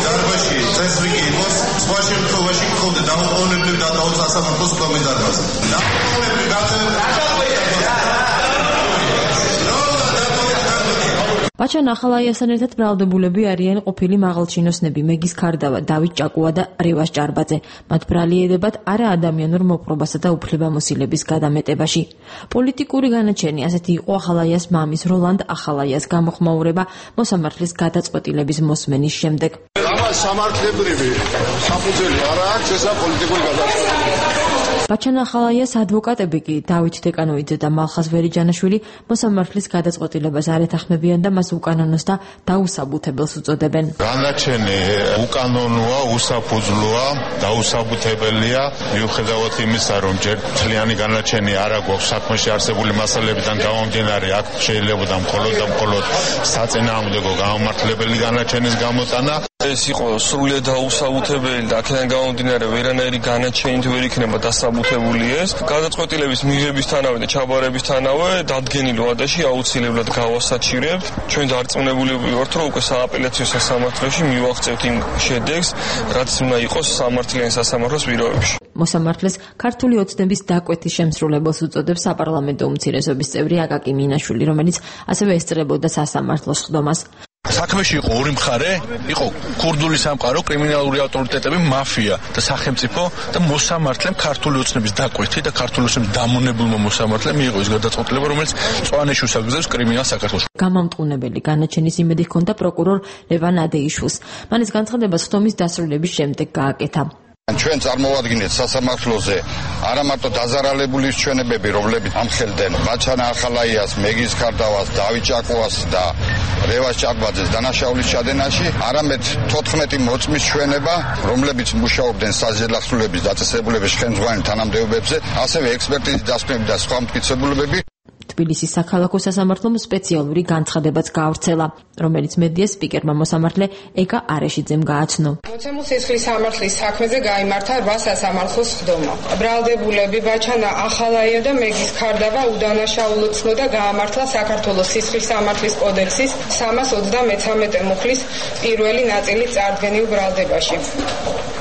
დარბაზში წესრიგი იყოს, სხვა შემთხვევაში გქონდა დაუყოვნებლივ დატოვოს სასამართლოს სხდომის დარბაზი. დაუყოვნებლივ ბაჩანა ახალაიასთან ერთად ბრალდებულები არიან ყოფილი მაღალჩინოსნები მეგის ქარდავა, დავით ჭაკუა და რევას ჭარბაძე. მათ ბრალიერებად არაადამიანურ მოპყრობასა და უფლებამოსილების გადამეტებაში. პოლიტიკური განაჩენი ასეთი იყო ახალაიას მამის როლანდ ახალაიას გამოხმაურება მოსამართლის გადაწყვეტილების მოსმენის შემდეგ. ამას სამართლებრივი საფუძველი არ აქვს, ესა პოლიტიკური გადაწყვეტილება. ბაჩანა ახალაიას ადვოკატები კი დავით დეკანოიძე და მალხაზ ვერიჯანაშვილი მოსამართლის გადაწყვეტილებას არ ეთანხმებიან და მას უკანონოს და დაუსაბუთებელს უწოდებენ. განაჩენი უკანონოა, უსაფუძვლოა, დაუსაბუთებელია, მიუხედავად იმისა, რომ ჯერ მთლიანი განაჩენი არ აქვს საქმეში არსებული მასალებიდან გამომდინარე, აქ შეიძლება მხოლოდ საწინააღმდეგო გამართლებელი განაჩენის გამოტანა. ეს იყო სრულიად დაუსაბუთებელი და აქედან გამომდინარე ვერანაირი განაჩენით ვერ იქნება დასაბუთებული ეს. გადაწყვეტილების მიღებისთანავე და ჩაბარებისთანავე დადგენილ ვადაში აუცილებლად გავასაჩირებ. ჩვენ დარწმუნებული ვართ, რომ უკვე სააპელაციო სასამართლოში მივაღწევთ იმ შედეგს, რაც უნდა იყოს სამართლიანი სასამართლოს პირობებში. მოსამართლეს ქართული ოცნების დაკვეთის შემსრულებელს უწოდებს საპარლამენტო უმცირესობის წევრი აკაკი მინაშვილი, რომელიც ასევე ესწრებოდა სასამართლოს სხდომას. საქმეში იყო ორი მხარე, იყო ქურდული სამყარო, კრიმინალური ავტორიტეტები, მაფია და სახელმწიფო და მოსამართლემ ქართული ოცნების დაკვეთი და ქართული ოცნების დამონებულმა მოსამართლემ მიიღო ის გადაწყვეტილება, რომელიც წვანეში უსაგზავნებს კრიმინალს საქართველოში. გამამტყუნებელი განაჩენის იმედი ჰქონდა პროკურორ ლევან ადეიშვილს. მან ეს განცხადება სხდომის დასრულების შემდეგ გააკეთა. ჩვენ წარმოვადგინეთ სასამართლოზე არა მარტო დაზარალებული ჩვენებები, რომლებიც ამხელდნენ ბაჩანა ახალაიას, მეგის ქარდავას, დავით ჭაკუას და რევას ჭარბაძეს დანაშაულის ჩადენაში, არამედ 14 მოწმის ჩვენება, რომლებიც მუშაობდნენ საჯელახსრულების დაწესებულების ხელმძღვანელ თანამდებობებზე, ასევე ექსპერტიზის დასკვნები და სხვა მტკიცებულებები. თბილისის საქალაქო სასამართლომ სპეციალური განცხადებაც გაავრცელა, რომელიც მედიას სპიკერმა მოსამართლე ეკა არეშიძემ გააცნო. მოცემულ სისხლის სამართლის საქმეზე გაიმართა 8 სასამართლოს სხდომა. ბრალდებულები ბაჩანა ახალაია და მეგის ქარდავა უდანაშაულოდ ცნოდა გაამართლა საქართველოს სისხლის სამართლის კოდექსის 333 მუხლის პირველი ნაწილი წარდგენილ ბრალდებაში.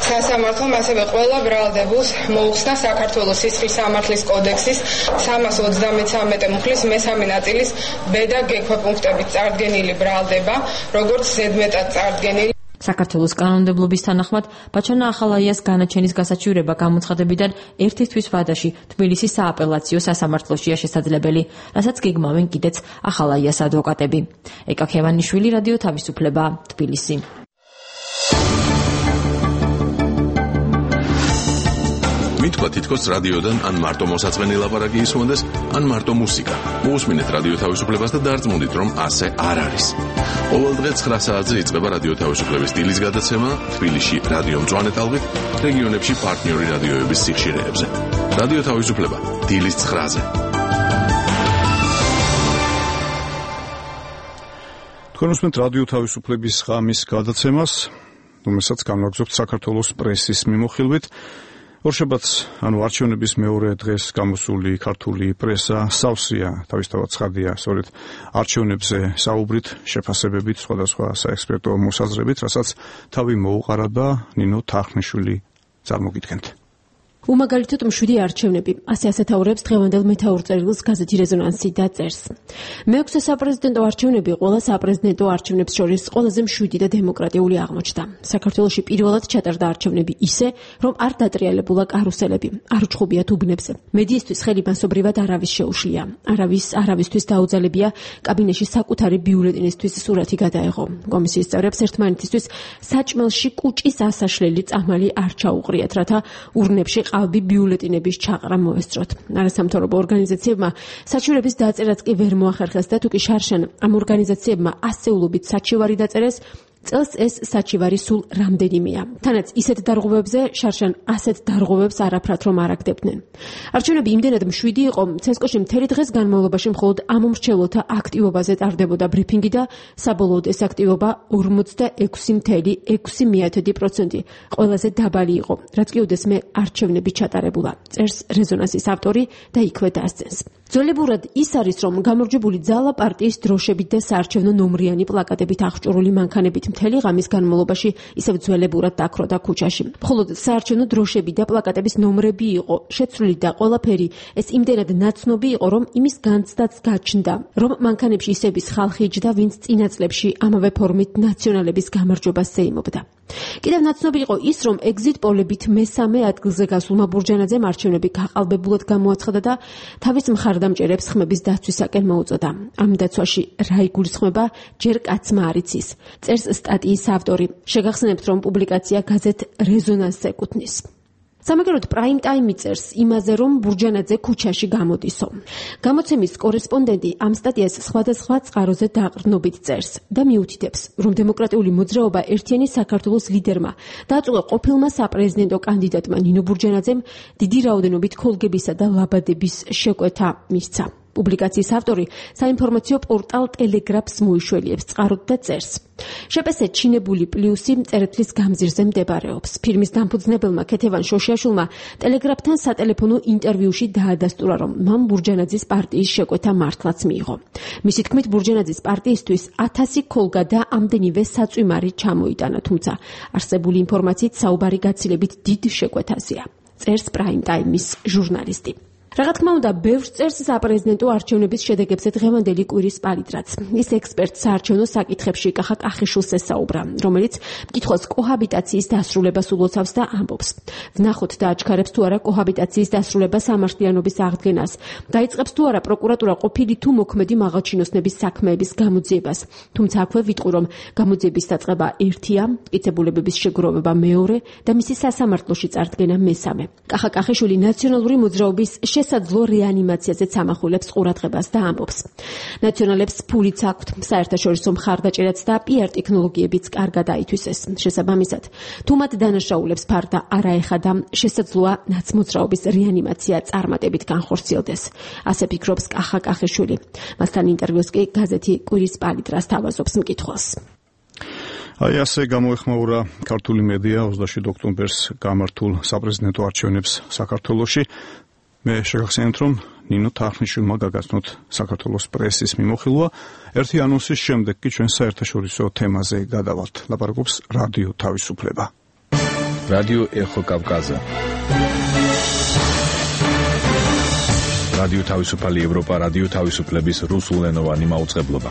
სასამართლომ ასევე ყველა ბრალდებულს მოუხსნა საქართველოს სისხლის სამართლის კოდექსის 333 მუხლის მესამე ნაწილის ბ და გ ქვეპუნქტებით წარდგენილი ბრალდება, როგორც ზედმეტად წარდგენილი. საქართველოს კანონმდებლობის თანახმად ბაჩანა ახალაიას განაჩენის გასაჩივრება გამოცხადებიდან ერთი თვის ვადაში თბილისის სააპელაციო სასამართლოშია შესაძლებელი, რასაც გეგმავენ კიდეც ახალაიას ადვოკატები. ეკა ქევანიშვილი, რადიო თავისუფლება, თბილისი. მითქვა თითქოს რადიოდან ან მარტო მოსაწყენი ლაპარაკი ისმონდეს, ან მარტო მუსიკა. მოусმინეთ რადიო თავისუფლებას და დარწმუნდით, რომ ასე არ არის. ყოველ დღე 9 საათზე იწყება რადიო თავისუფლების დილის გადაცემა თბილისში რადიო მწვანე ტალღით, რეგიონებში პარტნიორი რადიოების სიხშირეებზე. რადიო თავისუფლება დილის 9-ზე. თქვენ უსმენთ რადიო თავისუფლების ღამის გადაცემას, რომელსაც განვაგრძობთ საქართველოს პრესის მიმოხილვით. ორშაბათს, ანუ არჩევნების მეორე დღეს გამოსული ქართული პრესა სავსეა, თავისთავად ცხადია, სწორედ არჩევნებზე საუბრით, შეფასებებით, სხვადასხვა საექსპერტო მოსაზრებით, რასაც თავი მოუყარა და ნინო თარხნიშვილი წარმოგიდგენთ. უმაგალითოდ მშვიდი არჩევნები, ასე ასეთაურებს დღევანდელ მეთაურ წერილს გაზეთი რეზონანსი და წერს. მეექვსე საპრეზიდენტო არჩევნები ყველა საპრეზიდენტო არჩევნებს შორის ყველაზე მშვიდი და დემოკრატიული აღმოჩნდა. საქართველოში პირველად ჩატარდა არჩევნები ისე, რომ არ დატრიალებულა კარუსელები, არ უჩხუბიათ უბნებზე. მედიისთვის ხელი მასობრივად არავის შეუშლია. არავისთვის დაუძალებია კაბინეტში საკუთარი ბიულეტენისთვის სურათი გადაეღო. კომისიის წევრებს ერთმანეთისთვის საჭმელში კუჭის ასაშლელი წამალი არ ჩაუყრიათ, რათა ურნებში ყალბი ბიულეტინების ჩაყრა მოესწროთ. არასამთავრობო ორგანიზაციებმა საჩივრების დაწერაც კი ვერ მოახერხეს და თუკი შარშან ამ ორგანიზაციებმა ასეულობით საჩივარი დაწერეს, წელს ეს საჩივარი სულ რამდენიმეა. თანაც ისეთ დარღვევებზე შარშან ასეთ დარღვევებს არაფრად რომ არ აგდებდნენ. არჩევნები იმდენად მშვიდი იყო, ცესკოში მთელი დღეს განმავლობაში მხოლოდ ამომრჩევლთა აქტივობაზე ტარდებოდა ბრიფინგი და საბოლოოდ ეს აქტივობა 46.6%, ყველაზე დაბალი იყო, რაც კი უდესმე არჩევნები ჩატარებულა. წერს რეზონანსის ავტორი და იქვე დასცენს. ძველებურად ის არის, რომ გამარჯვებული ძალა პარტიის დროშებით და საარჩევნო ნომრიანი პლაკატებით აღჭურვილი მანქანებით მთელი ღამის განმავლობაში ისევ ძველებურად დაქროდა ქუჩაში. მხოლოდ საარჩევნო დროშები და პლაკატების ნომრები იყო შეცვლილი და ყველაფერი ეს იმდენად ნაცნობი იყო, რომ იმის განცდაც გაჩნდა, რომ მანქანებში ისების ხალხი იჯდა, ვინც წინა წლებში ამავე ფორმით ნაციონალების გამარჯვებას ზეიმობდა. კიდევ ნაცნობი იყო ის, რომ ეგზიტ პოლებით მესამე ადგილზე გასულმა ბურჯანაძემ არჩევნები გაყალბებულად გამოაცხადა და თავის მხარდამჭერებს ხმების დაცვისაკენ მოუწოდა. ამ დაცვაში რა იგულისხმება, ჯერ კაცმა არ იცის. წერს სტატიის ავტორი. შეგახსენებთ, რომ პუბლიკაცია გაზეთ რეზონანსს ეკუთვნის. სამაგეროდ პრაიმ ტაიმი წერს იმაზე, რომ ბურჯანაძე ქუჩაში გამოდისო. გამოცემის კორესპონდენტი ამ სტატიას სხვადასხვა წყაროზე დაყრდნობით წერს და მიუთითებს, რომ დემოკრატიული მოძრაობა ერთიანი საქართველოს ლიდერმა დააწუყა ყოფილმა საპრეზიდენტო კანდიდატმა ნინო ბურჯანაძემ დიდი რაოდენობით ქოლგებისა და ლაბადების შეკვეთა მისცა. პუბლიკაციის ავტორი საინფორმაციო პორტალ ტელეგრაფს მოიშველიებს წყაროდ და წერს. შეპესე ჩინებული პლუსი წერეთლის გამზირზე მდებარეობს. ფირმის დამფუძნებელმა ქეთევან შოშიაშვილმა ტელეგრაფთან სატელეფონო ინტერვიუში დაადასტურა, რომ მან ბურჯანაძის პარტიის შეკვეთა მართლაც მიიღო. მისი თქმით, ბურჯანაძის პარტიისთვის 1000 ქოლგა და ამდენივე საწვიმარი ჩამოიტანა, თუმცა არსებული ინფორმაციით საუბარი გაცილებით დიდ შეკვეთაზეა. წერს პრაიმ ტაიმის ჟურნალისტი. რა თქმა უნდა, ბევრს წერს საპრეზიდენტო არჩევნების შედეგებზე დღევანდელი კვირის პალიტრაც. ის ექსპერტ საარჩევნო საკითხებში კახა კახიშვილს ესაუბრა, რომელიც მკითხველს კოჰაბიტაციის დასრულებას ულოცავს და ამბობს. ვნახოთ და აჩქარებს თუ არა კოჰაბიტაციის დასრულება სამართლიანობის აღდგენას. დაიწყებს თუ არა პროკურატურა ყოფილი თუ მოქმედი მაღალჩინოსნების საქმეების გამოძიებას. თუმცა აქვე ვიტყვი, რომ გამოძიების დაწყება ერთია, მტკიცებულებების შეგროვება მეორე და მისი სასამართლოში წარდგენა მესამე. კახა კახიშვილი ნაციონალური მოძრაობის შესაძლო რეანიმაციაზე წამახულებს ყურადღებას და ამბობს. ნაციონალებს ფულიც აქვთ, საერთაშორისო მხარდაჭერაც და PR ტექნოლოგიებიც კარგად აითვისეს. შესაბამისად, თუ მათ დანაშაულებს ფარდა არ აეხადა, შესაძლოა ნაცმოძრაობის რეანიმაცია წარმატებით განხორციელდეს. ასე ფიქრობს კახა კახიშვილი. მასთან ინტერვიუს კი გაზეთი კვირის პალიტრას თავაზობს მკითხველს. აი ასე გამოეხმაურა ქართული მედია 27 ოქტომბერს გამართულ საპრეზიდენტო არჩევნებს საქართველოში. მე შეგახსენებთ, რომ ნინო თარხნიშვილმა გაგაცნოთ საქართველოს პრესის მიმოხილვა. ერთი ანონსის შემდეგ კი ჩვენ საერთაშორისო თემაზე გადავალთ. ლაპარაკობს რადიო თავისუფლება. რადიო ეხო კავკაზა. რადიო თავისუფალი ევროპა, რადიო თავისუფლების რუსულენოვანი მაუწყებლობა.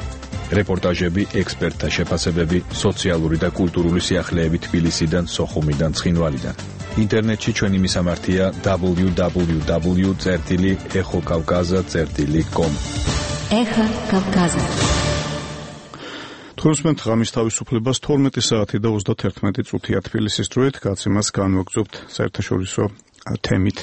რეპორტაჟები, ექსპერტთა შეფასებები, სოციალური და კულტურული სიახლეები თბილისიდან, სოხუმიდან, ცხინვალიდან. ინტერნეტში ჩვენი მისამართია www.exokavkaza.com. ეხა კავკაზა. თორმეტ ღამის თავისუფლებას 12 საათი და 31 წუთია თბილისის დროით, გაცემას განვაგრძობთ საერთაშორისო თემით.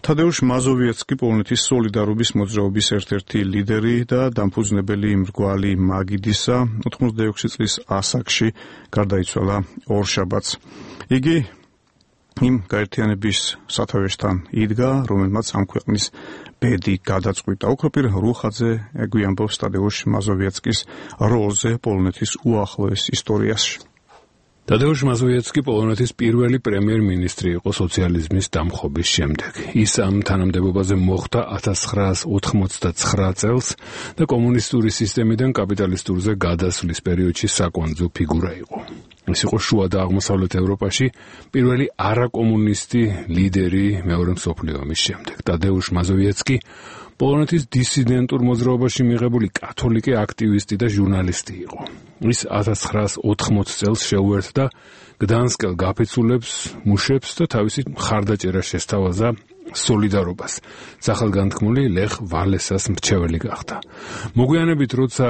თადეუშ მაზოვიეცკი, პოლონეთის სოლიდარობის მოძრაობის ერთ-ერთი ლიდერი და დამფუძნებელი მრგვალი მაგიდისა 86 წლის ასაკში გარდაიცვალა ორშაბათს. იგი იმ გაერთიანების სათავეშთან იდგა, რომელმაც ამ ქვეყნის ბედი გადაწყვიტა. ოქროპირ რუხაძე გვიამბობს თადეუშ მაზოვიეცკის როლზე პოლონეთის უახლოეს ისტორიაში. თადეუშ მაზოვიეცკი პოლონეთის პირველი პრემიერ-მინისტრი იყო სოციალიზმის დამხობის შემდეგ. ის ამ თანამდებობაზე მოხვდა 1989 წელს და კომუნისტური სისტემიდან კაპიტალისტურზე გადასვლის პერიოდში საკვანძო ფიგურა იყო. ის იყო შუა და აღმოსავლეთ ევროპაში პირველი არაკომუნისტი ლიდერი მეორე მსოფლიო ომის შემდეგ. თადეუშ მაზოვიეცკი პოლონეთის დისიდენტურ მოძრაობაში მიღებული კათოლიკე აქტივისტი და ჟურნალისტი იყო. ის 1980 წელს შეუერთდა გდანსკელ გაფიცულებს, მუშებს და თავისი მხარდაჭერა შესთავაზა სოლიდარობას. სახელგანთქმული ლეხ ვალესას მრჩეველი გახდა. მოგვიანებით, როცა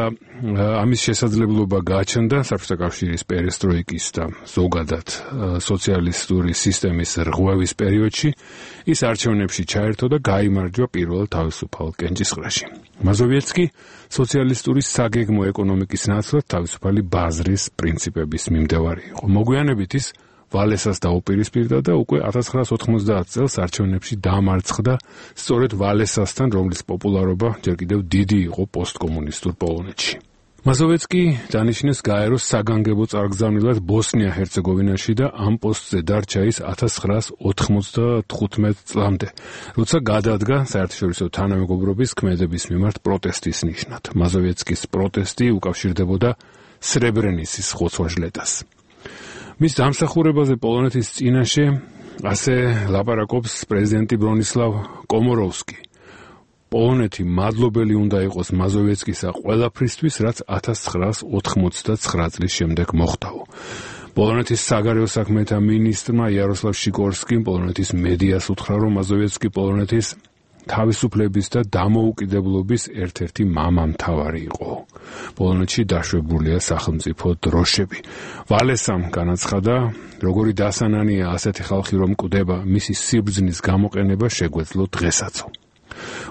ამის შესაძლებლობა გააჩნდა საბჭოთა კავშირის პერესტროიკის და ზოგადად სოციალისტური სისტემის რღვევის პერიოდში, ის არჩევნებში ჩაერთო და გაიმარჯვა პირველ თავისუფალ კენჭისყრაში. მაზოვიეცკი სოციალისტური საგეგმო ეკონომიკის ნაცვლად თავისუფალი ბაზრის პრინციპების მიმდევარი იყო. მოგვიანებით ის ვალესას დაუპირისპირდა და უკვე 1990 წელს არჩევნებში დამარცხდა სწორედ ვალესასთან, რომლის პოპულარობა ჯერ კიდევ დიდი იყო პოსტკომუნისტურ პოლონეთში. მაზოვიეცკი დანიშნეს გაეროს საგანგებო წარგზავნილად ბოსნია-ჰერცეგოვინაში და ამ პოსტზე დარჩა ის 1995 წლამდე, როცა გადადგა საერთაშორისო თანამეგობრობის ქმედების მიმართ პროტესტის ნიშნად. მაზოვიეცკის პროტესტი უკავშირდებოდა სრებრენიცის ხოცვა-ჟლეტას. მის დამსახურებაზე პოლონეთის წინაშე ასე ლაპარაკობს პრეზიდენტი ბრონისლავ კომოროვსკი. პოლონეთი მადლობელი უნდა იყოს მაზოვიეცკისა ყველაფრისთვის, რაც 1989 წლის შემდეგ მოხდაო. პოლონეთის საგარეო საქმეთა მინისტრმა იაროსლავ შიკორსკიმ პოლონეთის მედიას უთხრა, რომ მაზოვიეცკი პოლონეთის თავისუფლების და დამოუკიდებლობის ერთ-ერთი მამამთავარი იყო. პოლონეთში დაშვებულია სახელმწიფო დროშები. ვალესამ განაცხადა, როგორი დასანანია ასეთი ხალხი რომ კვდება, მისი სიბრძნის გამოყენება შეგვეძლო დღესაც.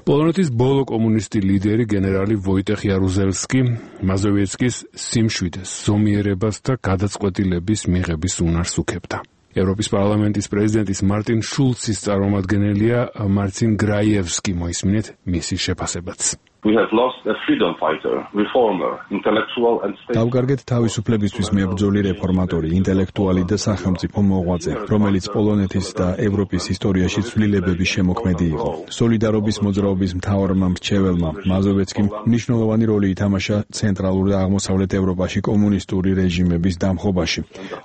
პოლონეთის ბოლო კომუნისტი ლიდერი გენერალი ვოიტეხ იარუზელსკი მაზოვიეცკის სიმშვიდეს, ზომიერებას და გადაწყვეტილების მიღების უნარს უქებდა. ევროპის პარლამენტის პრეზიდენტის მარტინ შულცის წარმომადგენელია მარცინ გრაიევსკი, მოისმინეთ მისი შეფასებაც. We have lost a freedom fighter, reformer, intellectual and state. დავგარგეთ თავისუფლებისთვის მებრძოლი რეფორმატორი, ინტელექტუალი და სახელმწიფო მოღვაწე, რომელიც პოლონეთის და ევროპის ისტორიაში ცვლილებების შემოქმედი იყო. სოლიდარობის მოძრაობის მთავარმა მრჩეველმა მაზოვეცკიმ მნიშვნელოვანი როლი ითამაშა ცენტრალურ და აღმოსავლეთ ევროპაში კომუნისტური რეჟიმების დამხობაში.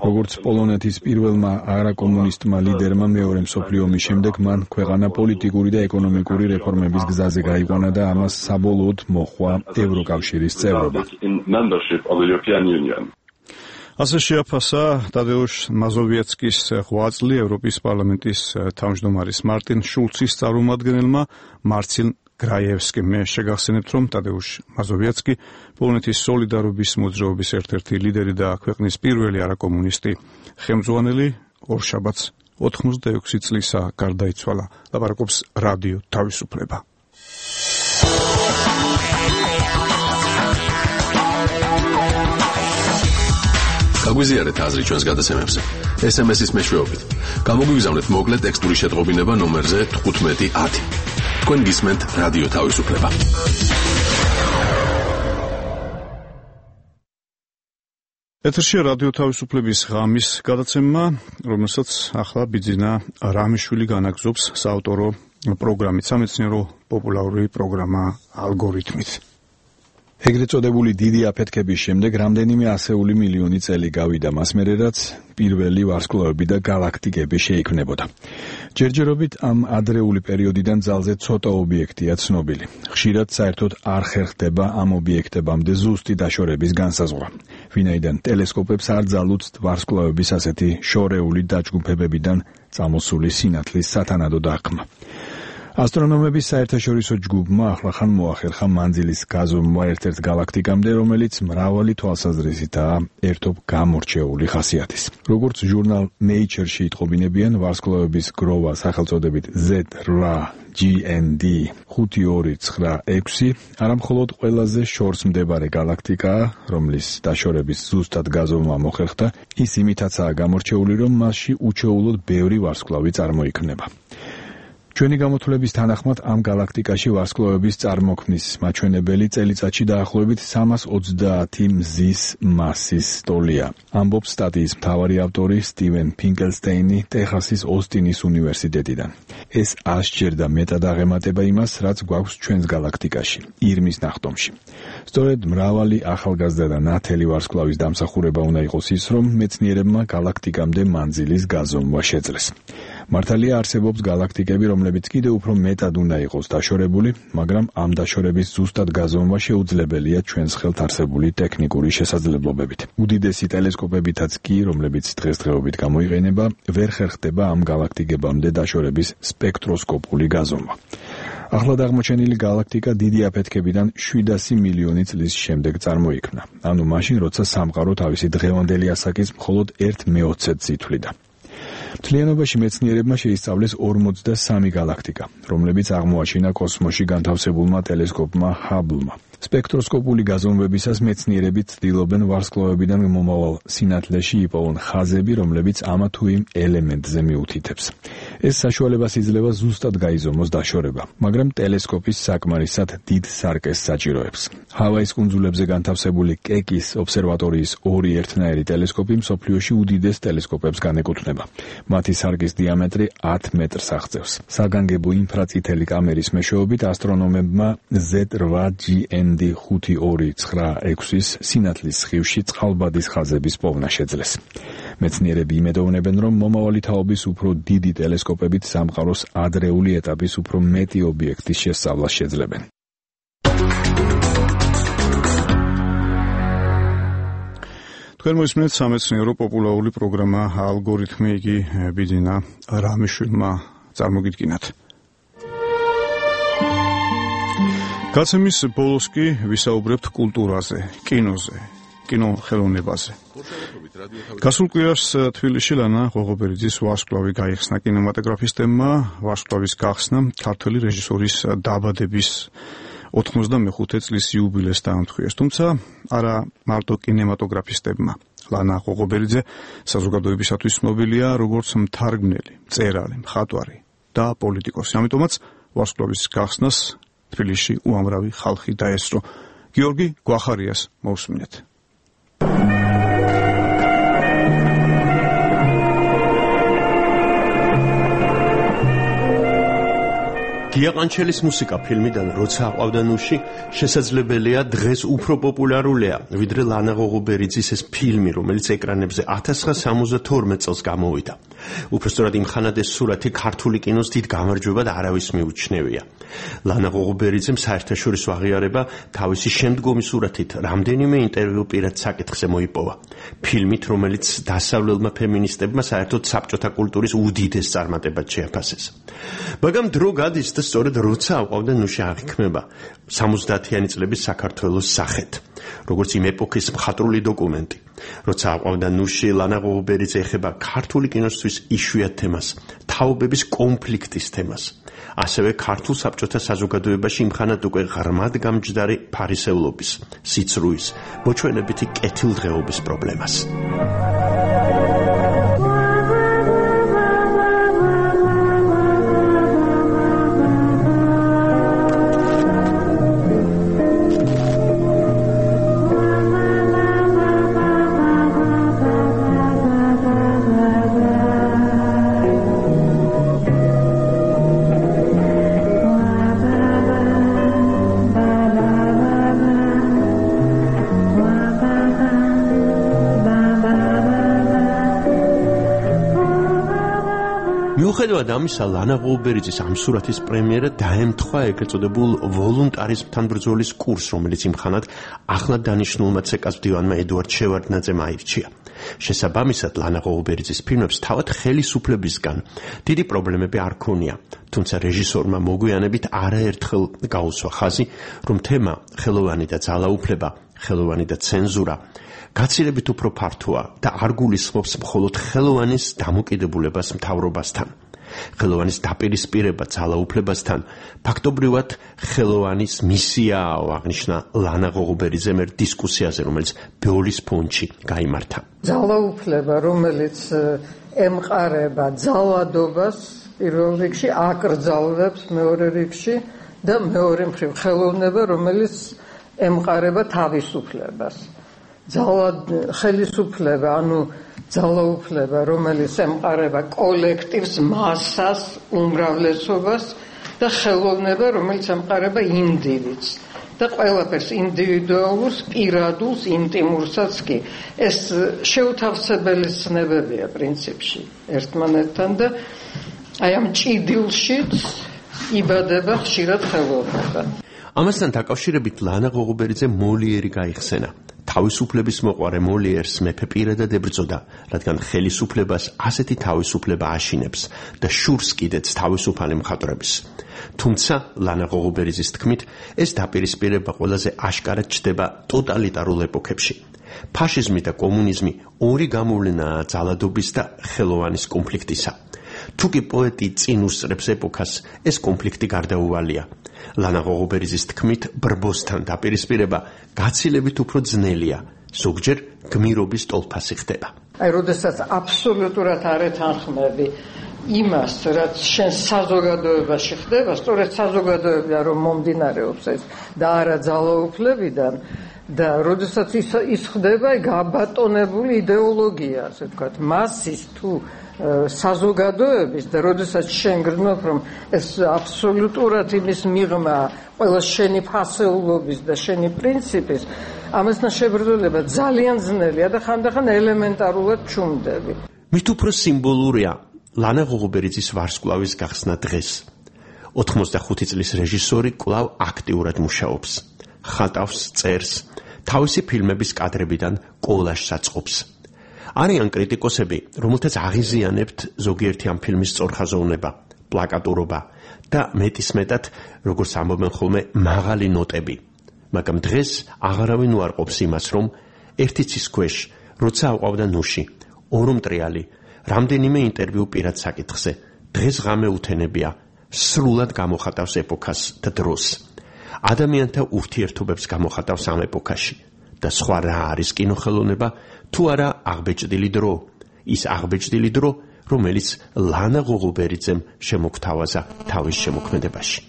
როგორც პოლონეთის პირველმა არაკომუნისტმა ლიდერმა მეორე მსოფლიო ომის შემდეგ მან ქვეყანა პოლიტიკური და ეკონომიკური რეფორმების გზაზე გაიყვანა და ამას საბოლოოდ მოჰყვა ევროკავშირის წევრობა. ასე შეაფასა ტადეუშ მაზოვიეცკის ღვაწლი ევროპის პარლამენტის თავმჯდომარის მარტინ შულცის წარმომადგენელმა მარცინ გრაიევსკიმ. მე შეგახსენებთ, რომ ტადეუშ მაზოვიეცკი პოლონეთის სოლიდარობის მოძრაობის ერთ-ერთი ლიდერი და ქვეყნის პირველი არაკომუნისტი ხელმძღვანელი ორშაბათს 86 წლისა გარდაიცვალა. ლაპარაკობს რადიო თავისუფლება. გაგვიზიარეთ აზრი ჩვენს გადაცემებზე. SMS-ის მეშვეობით. გამოგვიგზავნეთ მოკლე ტექსტური შეტყობინება ნომერზე 1510. თქვენ გისმენთ რადიო თავისუფლება. ეთერშია რადიო თავისუფლების ღამის გადაცემა, რომელსაც ახლა ბიძინა რამიშვილი განაგზობს საავტორო პროგრამით, სამეცნიერო პოპულარული პროგრამა ალგორითმით. ეგრეთ წოდებული დიდი აფეთქების შემდეგ რამდენიმე ასეული მილიონი წელი გავიდა მას მერე, რაც პირველი ვარსკვლავები და galaktikები შეიქმნებოდა. ჯერჯერობით ამ ადრეული პერიოდიდან ძალზე ცოტა ობიექტია ცნობილი. ხშირად საერთოდ არ ხერხდება ამ ობიექტებამდე ზუსტი დაშორების განსაზღვრა. ვინაიდან ტელესკოპებს არ ძალუძთ ვარსკვლავების ასეთი შორეული დაჯგუფებებიდან წამოსული სინათლის სათანადო დახმა. ასტრონომების საერთაშორისო ჯგუფმა ახლახან მოახერხა მანძილის გაზომვა ერთ-ერთ galaktikამდე, რომელიც მრავალი თვალსაზრისითაა ერთობ გამორჩეული ხასიათის. როგორც ჟურნალ Nature-ში იტყობინებიან, ვარსკვლავების გროვა სახელწოდებით Z8GND 5296 არამხოლოდ ყველაზე შორს მდებარე galaktikაა, რომლის დაშორების ზუსტად გაზომვა მოხერხდა, ის იმითაცაა გამორჩეული, რომ მასში უჩვეულოდ ბევრი ვარსკვლავი წარმოიქმნება. ჩვენი გამოთვლების თანახმად ამ galaktikაში ვარსკვლავების წარმოქმნის მაჩვენებელი წელიწადში დაახლოებით 330 მზის მასის ტოლია. ამბობს სტატიის მთავარი ავტორი სტივენ ფინკელსტეინი ტეხასის ოსტინის უნივერსიტეტიდან. ეს 100-ჯერ და მეტად აღემატება იმას, რაც გვაქვს ჩვენს galaktikაში, ირმის ნახტომში. სწორედ მრავალი ახალგაზრდა და ნათელი ვარსკვლავის დამსახურება უნდა იყოს ის, რომ მეცნიერებმა galaktikამდე მანძილის გაზომვა შეძლეს. მართალია არსებობს galaktikები, რომლებიც კიდევ უფრო მეტად უნდა იყოს დაშორებული, მაგრამ ამ დაშორების ზუსტად გაზომვა შეუძლებელია ჩვენს ხელთ არსებული ტექნიკური შესაძლებლობებით. უდიდესი ტელესკოპებითაც კი, რომლებიც დღესდღეობით გამოიყენება, ვერ ხერხდება ამ galaktikებამდე დაშორების სპექტროსკოპული გაზომვა. ახლად აღმოჩენილი galaktika დიდი აფეთქებიდან 700 მილიონი წლის შემდეგ წარმოიქმნა. ანუ მაშინ, როცა სამყარო თავისი დღევანდელი ასაკის მხოლოდ 1/40-ს ითვლიდა. მთლიანობაში მეცნიერებმა შეისწავლეს 43 galaktika, რომლებიც აღმოაჩინა კოსმოსში განთავსებულმა ტელესკოპმა Hubble-მა. სპექტროსკოპული გაზომვებისას მეცნიერები ცდილობენ ვარსკვლავებიდან მომავალ სინათლეში იპოვონ ხაზები, რომლებიც ამა თუ იმ ელემენტზე მიუთითებს. ეს საშუალებას იძლევა ზუსტად გაიზომოს დაშორება, მაგრამ ტელესკოპის საკმარისად დიდ სარკეს საჭიროებს. ჰავაის კუნძულებზე განთავსებული კეკის ობსერვატორიის ორი ერთნაირი ტელესკოპი მსოფლიოში უდიდეს ტელესკოპებს განეკუთვნება. მათი სარკის დიამეტრი 10 მეტრს აღწევს. საგანგებო ინფრაწითელი კამერის მეშვეობით ასტრონომებმა Z8GND 5296-ის სინათლის სხივში წყალბადის ხაზების პოვნა შეძლეს. მეცნიერები იმედოვნებენ, რომ მომავალი თაობის უფრო დიდი ტელესკოპებით სამყაროს ადრეული ეტაპის უფრო მეტი ობიექტის შესწავლას შეძლებენ. თქვენ მოისმენთ სამეცნიერო პოპულარული პროგრამა ალგორითმი, იგი ბიძინა რამიშვილმა წარმოგიდგინათ. გაცემის ბოლოს კი ვისაუბრებთ კულტურაზე, კინოზე, კინოხელოვნებაზე. გასულ კვირას თბილისში ლანა ღოღობერიძის ვარსკვლავი გაიხსნა კინემატოგრაფისტებმა. ვარსკვლავის გახსნა ქართველი რეჟისორის დაბადების 95 წლის იუბილეს დაამტყიეს, თუმცა არა მარტო კინემატოგრაფისტებმა. ლანა ღოღობერიძე საზოგადოებისათვის ცნობილია როგორც მთარგმნელი, მწერალი, მხატვარი და პოლიტიკოსი. ამიტომაც ვარსკვლავის გახსნას თბილისში უამრავი ხალხი დაესწრო. გიორგი გვახარიას მოусმინეთ. გიაყანჩელის მუსიკა ფილმიდან როცა აყვავდა ნუში შესაძლებელია დღეს უფრო პოპულარულია ვიდრე ლანა ღოღობერიძის ეს ფილმი რომელიც ეკრანებზე 1972 წელს გამოვიდა. უпростоრად იმ ხანად ეს სურათი ქართული კინოს დიდ გამარჯვებად არავის მიუჩნევია. ლანა ღოღობერიძემ საერთაშორისო აღიარება თავისი შემდგომი სურათით რამდენიმე ინტერვიუ პირად საკითხზე მოიპოვა. ფილმით რომელიც დასავლელმა ფემინისტებმა საერთოდ საბჭოთა კულტურის უდიდეს წარმატებად შეაფასეს. მაგრამ დრო გადის და სწორედ როცა აყვავდა ნუში აღიქმება 70-იანი წლების საქართველოს სახეთ, როგორც იმ ეპოქის მხატვრული დოკუმენტი. როცა აყვავდა ნუში ლანა ღოღობერიძე ეხება ქართული კინოსთვის იშვიათ თემას, თაობების კონფლიქტის თემას. ასევე ქართულ საბჭოთა საზოგადოებაში იმხანად უკვე ღრმად გამჯდარი ფარისევლობის, სიცრუის, მოჩვენებითი კეთილდღეობის პრობლემას. მიუხედავად ამისა, ლანა ღოღობერიძის ამ სურათის პრემიერა დაემთხვა ეგრეთ წოდებულ ვოლუნტარიზმთან ბრძოლის კურსს, რომელიც იმხანად ახლად დანიშნულმა ცეკას მდივანმა ედუარდ შევარდნაძემ აირჩია. შესაბამისად, ლანა ღოღობერიძის ფილმებს თავად ხელისუფლებისგან დიდი პრობლემები არ ქონია, თუმცა რეჟისორმა მოგვიანებით არაერთხელ გაუსვა ხაზი, რომ თემა ხელოვანი და ძალაუფლება, ხელოვანი და ცენზურა გაცილებით უფრო ფართოა და არ გულისხმობს მხოლოდ ხელოვანის დამოკიდებულებას მთავრობასთან. ხელოვანის დაპირისპირება ძალაუფლებასთან ფაქტობრივად ხელოვანის მისიაა, აღნიშნა ლანა ღოღობერიძემ ერთ დისკუსიაზე, რომელიც ბეოლის ფონდში გაიმართა. ძალაუფლება, რომელიც ემყარება ძალადობას, პირველ რიგში აკრძალვებს მეორე რიგში და მეორე მხრივ ხელოვნება, რომელიც ემყარება თავისუფლებას. ხელისუფლება, ანუ ძალაუფლება, რომელიც ემყარება კოლექტივს, მასას, უმრავლესობას და ხელოვნება, რომელიც ემყარება ინდივიდს და ყველაფერს ინდივიდუალურს, პირადულს, ინტიმურსაც კი. ეს შეუთავსებელი ცნებებია პრინციპში ერთმანეთთან და აი ამ ჭიდილშიც იბადება ხშირად ხელოვნება. ამასთან დაკავშირებით ლანა ღოღობერიძე მოლიერი გაიხსენა. თავისუფლების მოყვარე მოლიერს მეფე პირადად ებრძოდა, რადგან ხელისუფლებას ასეთი თავისუფლება აშინებს და შურს კიდეც თავისუფალი მხატვრების. თუმცა ლანა ღოღობერიძის თქმით, ეს დაპირისპირება ყველაზე აშკარად ჩდება ტოტალიტარულ ეპოქებში. ფაშიზმი და კომუნიზმი ორი გამოვლენაა ძალადობის და ხელოვანის კონფლიქტისა. თუკი პოეტი წინ უსწრებს ეპოქას, ეს კონფლიქტი გარდაუვალია. ლანა ღოღობერიძის თქმით, ბრბოსთან დაპირისპირება გაცილებით უფრო ძნელია, ზოგჯერ გმირობის ტოლფასი ხდება. აი, როდესაც აბსოლუტურად არ ეთანხმები იმას, რაც შენ საზოგადოებაში ხდება, სწორედ საზოგადოებიდან რომ მომდინარეობს ეს და არა ძალაუფლებიდან და როდესაც ის ხდება გაბატონებული იდეოლოგია, ასე ვთქვათ, მასის თუ საზოგადოების და როდესაც შენ გრძნობ რომ ეს აბსოლუტურად იმის მიღმა ყველა შენი ფასეულობის და შენი პრინციპის ამასთან შებრძოლება ძალიან ძნელია და ხანდახან ელემენტარულად ჩუმდები. მით უფრო სიმბოლურია ლანა ღოღობერიძის ვარსკვლავის გახსნა დღეს. 85 წლის რეჟისორი კვლავ აქტიურად მუშაობს, ხატავს, წერს, თავისი ფილმების კადრებიდან კოლაჟს აწყობს. არიან კრიტიკოსები, რომელთაც აღიზიანებთ ზოგიერთი ამ ფილმის სწორხაზოვნება, პლაკატურობა და მეტისმეტად, როგორც ამბობენ ხოლმე, მაღალი ნოტები. მაგრამ დღეს აღარავინ უარყოფს იმას, რომ ერთი ცის ქვეშ, როცა აყვავდა ნუში, ორომტრიალი, რამდენიმე ინტერვიუ პირად საკითხზე, დღეს ღამე უთენებია, სრულად გამოხატავს ეპოქას და დროს. ადამიანთა ურთიერთობებს გამოხატავს ამ ეპოქაში და სხვა რა არის კინოხელოვნება, თუ არა აღბეჭდილი დრო, ის აღბეჭდილი დრო, რომელიც ლანა ღოღობერიძემ შემოგთავაზა თავის შემოქმედებაში.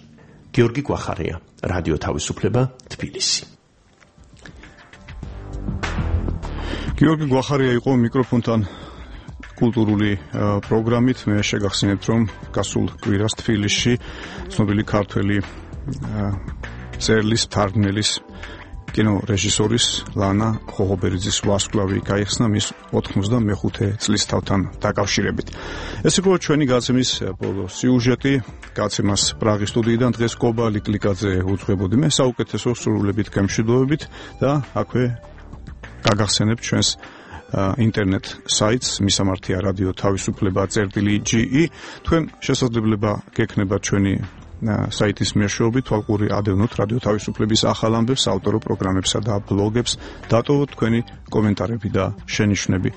გიორგი გვახარია, რადიო თავისუფლება, თბილისი. გიორგი გვახარია იყო მიკროფონთან კულტურული პროგრამით. მე შეგახსენებთ, რომ გასულ კვირას თბილისში ცნობილი ქართველი წერლის, მთარგმნელის, კინორეჟისორის ლანა ხოხობერიძის ვარსკვლავი გაიხსნა მის 95 წლისთავთან დაკავშირებით. ეს იყო ჩვენი გაცემის ბოლო სიუჟეტი. გაცემას პრაღის სტუდიიდან დღეს კობა ლიკლიკაძე უძღვებოდი მე. საუკეთესო სრულებით გემშვიდობებით და აქვე გაგახსენებთ ჩვენს ინტერნეტ საიტს მისამართია რადიო თავისუფლება წერტილი.ge. თქვენ შესაძლებლობა გექნება ჩვენი საიტის მეშვეობით თვალყური ადევნოთ რადიო თავისუფლების ახალ ამბებს, ავტორო პროგრამებსა და ბლოგებს, დატოვოთ თქვენი კომენტარები და შენიშვნები.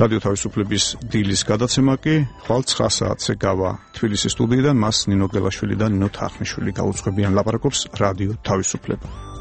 რადიო თავისუფლების დილის გადაცემა კი ხვალ 9 საათზე გავა თბილისის სტუდიიდან. მას ნინო გელაშვილი და ნინო თახნიშვილი გაუძღვებიან. ლაპარაკობს რადიო თავისუფლება.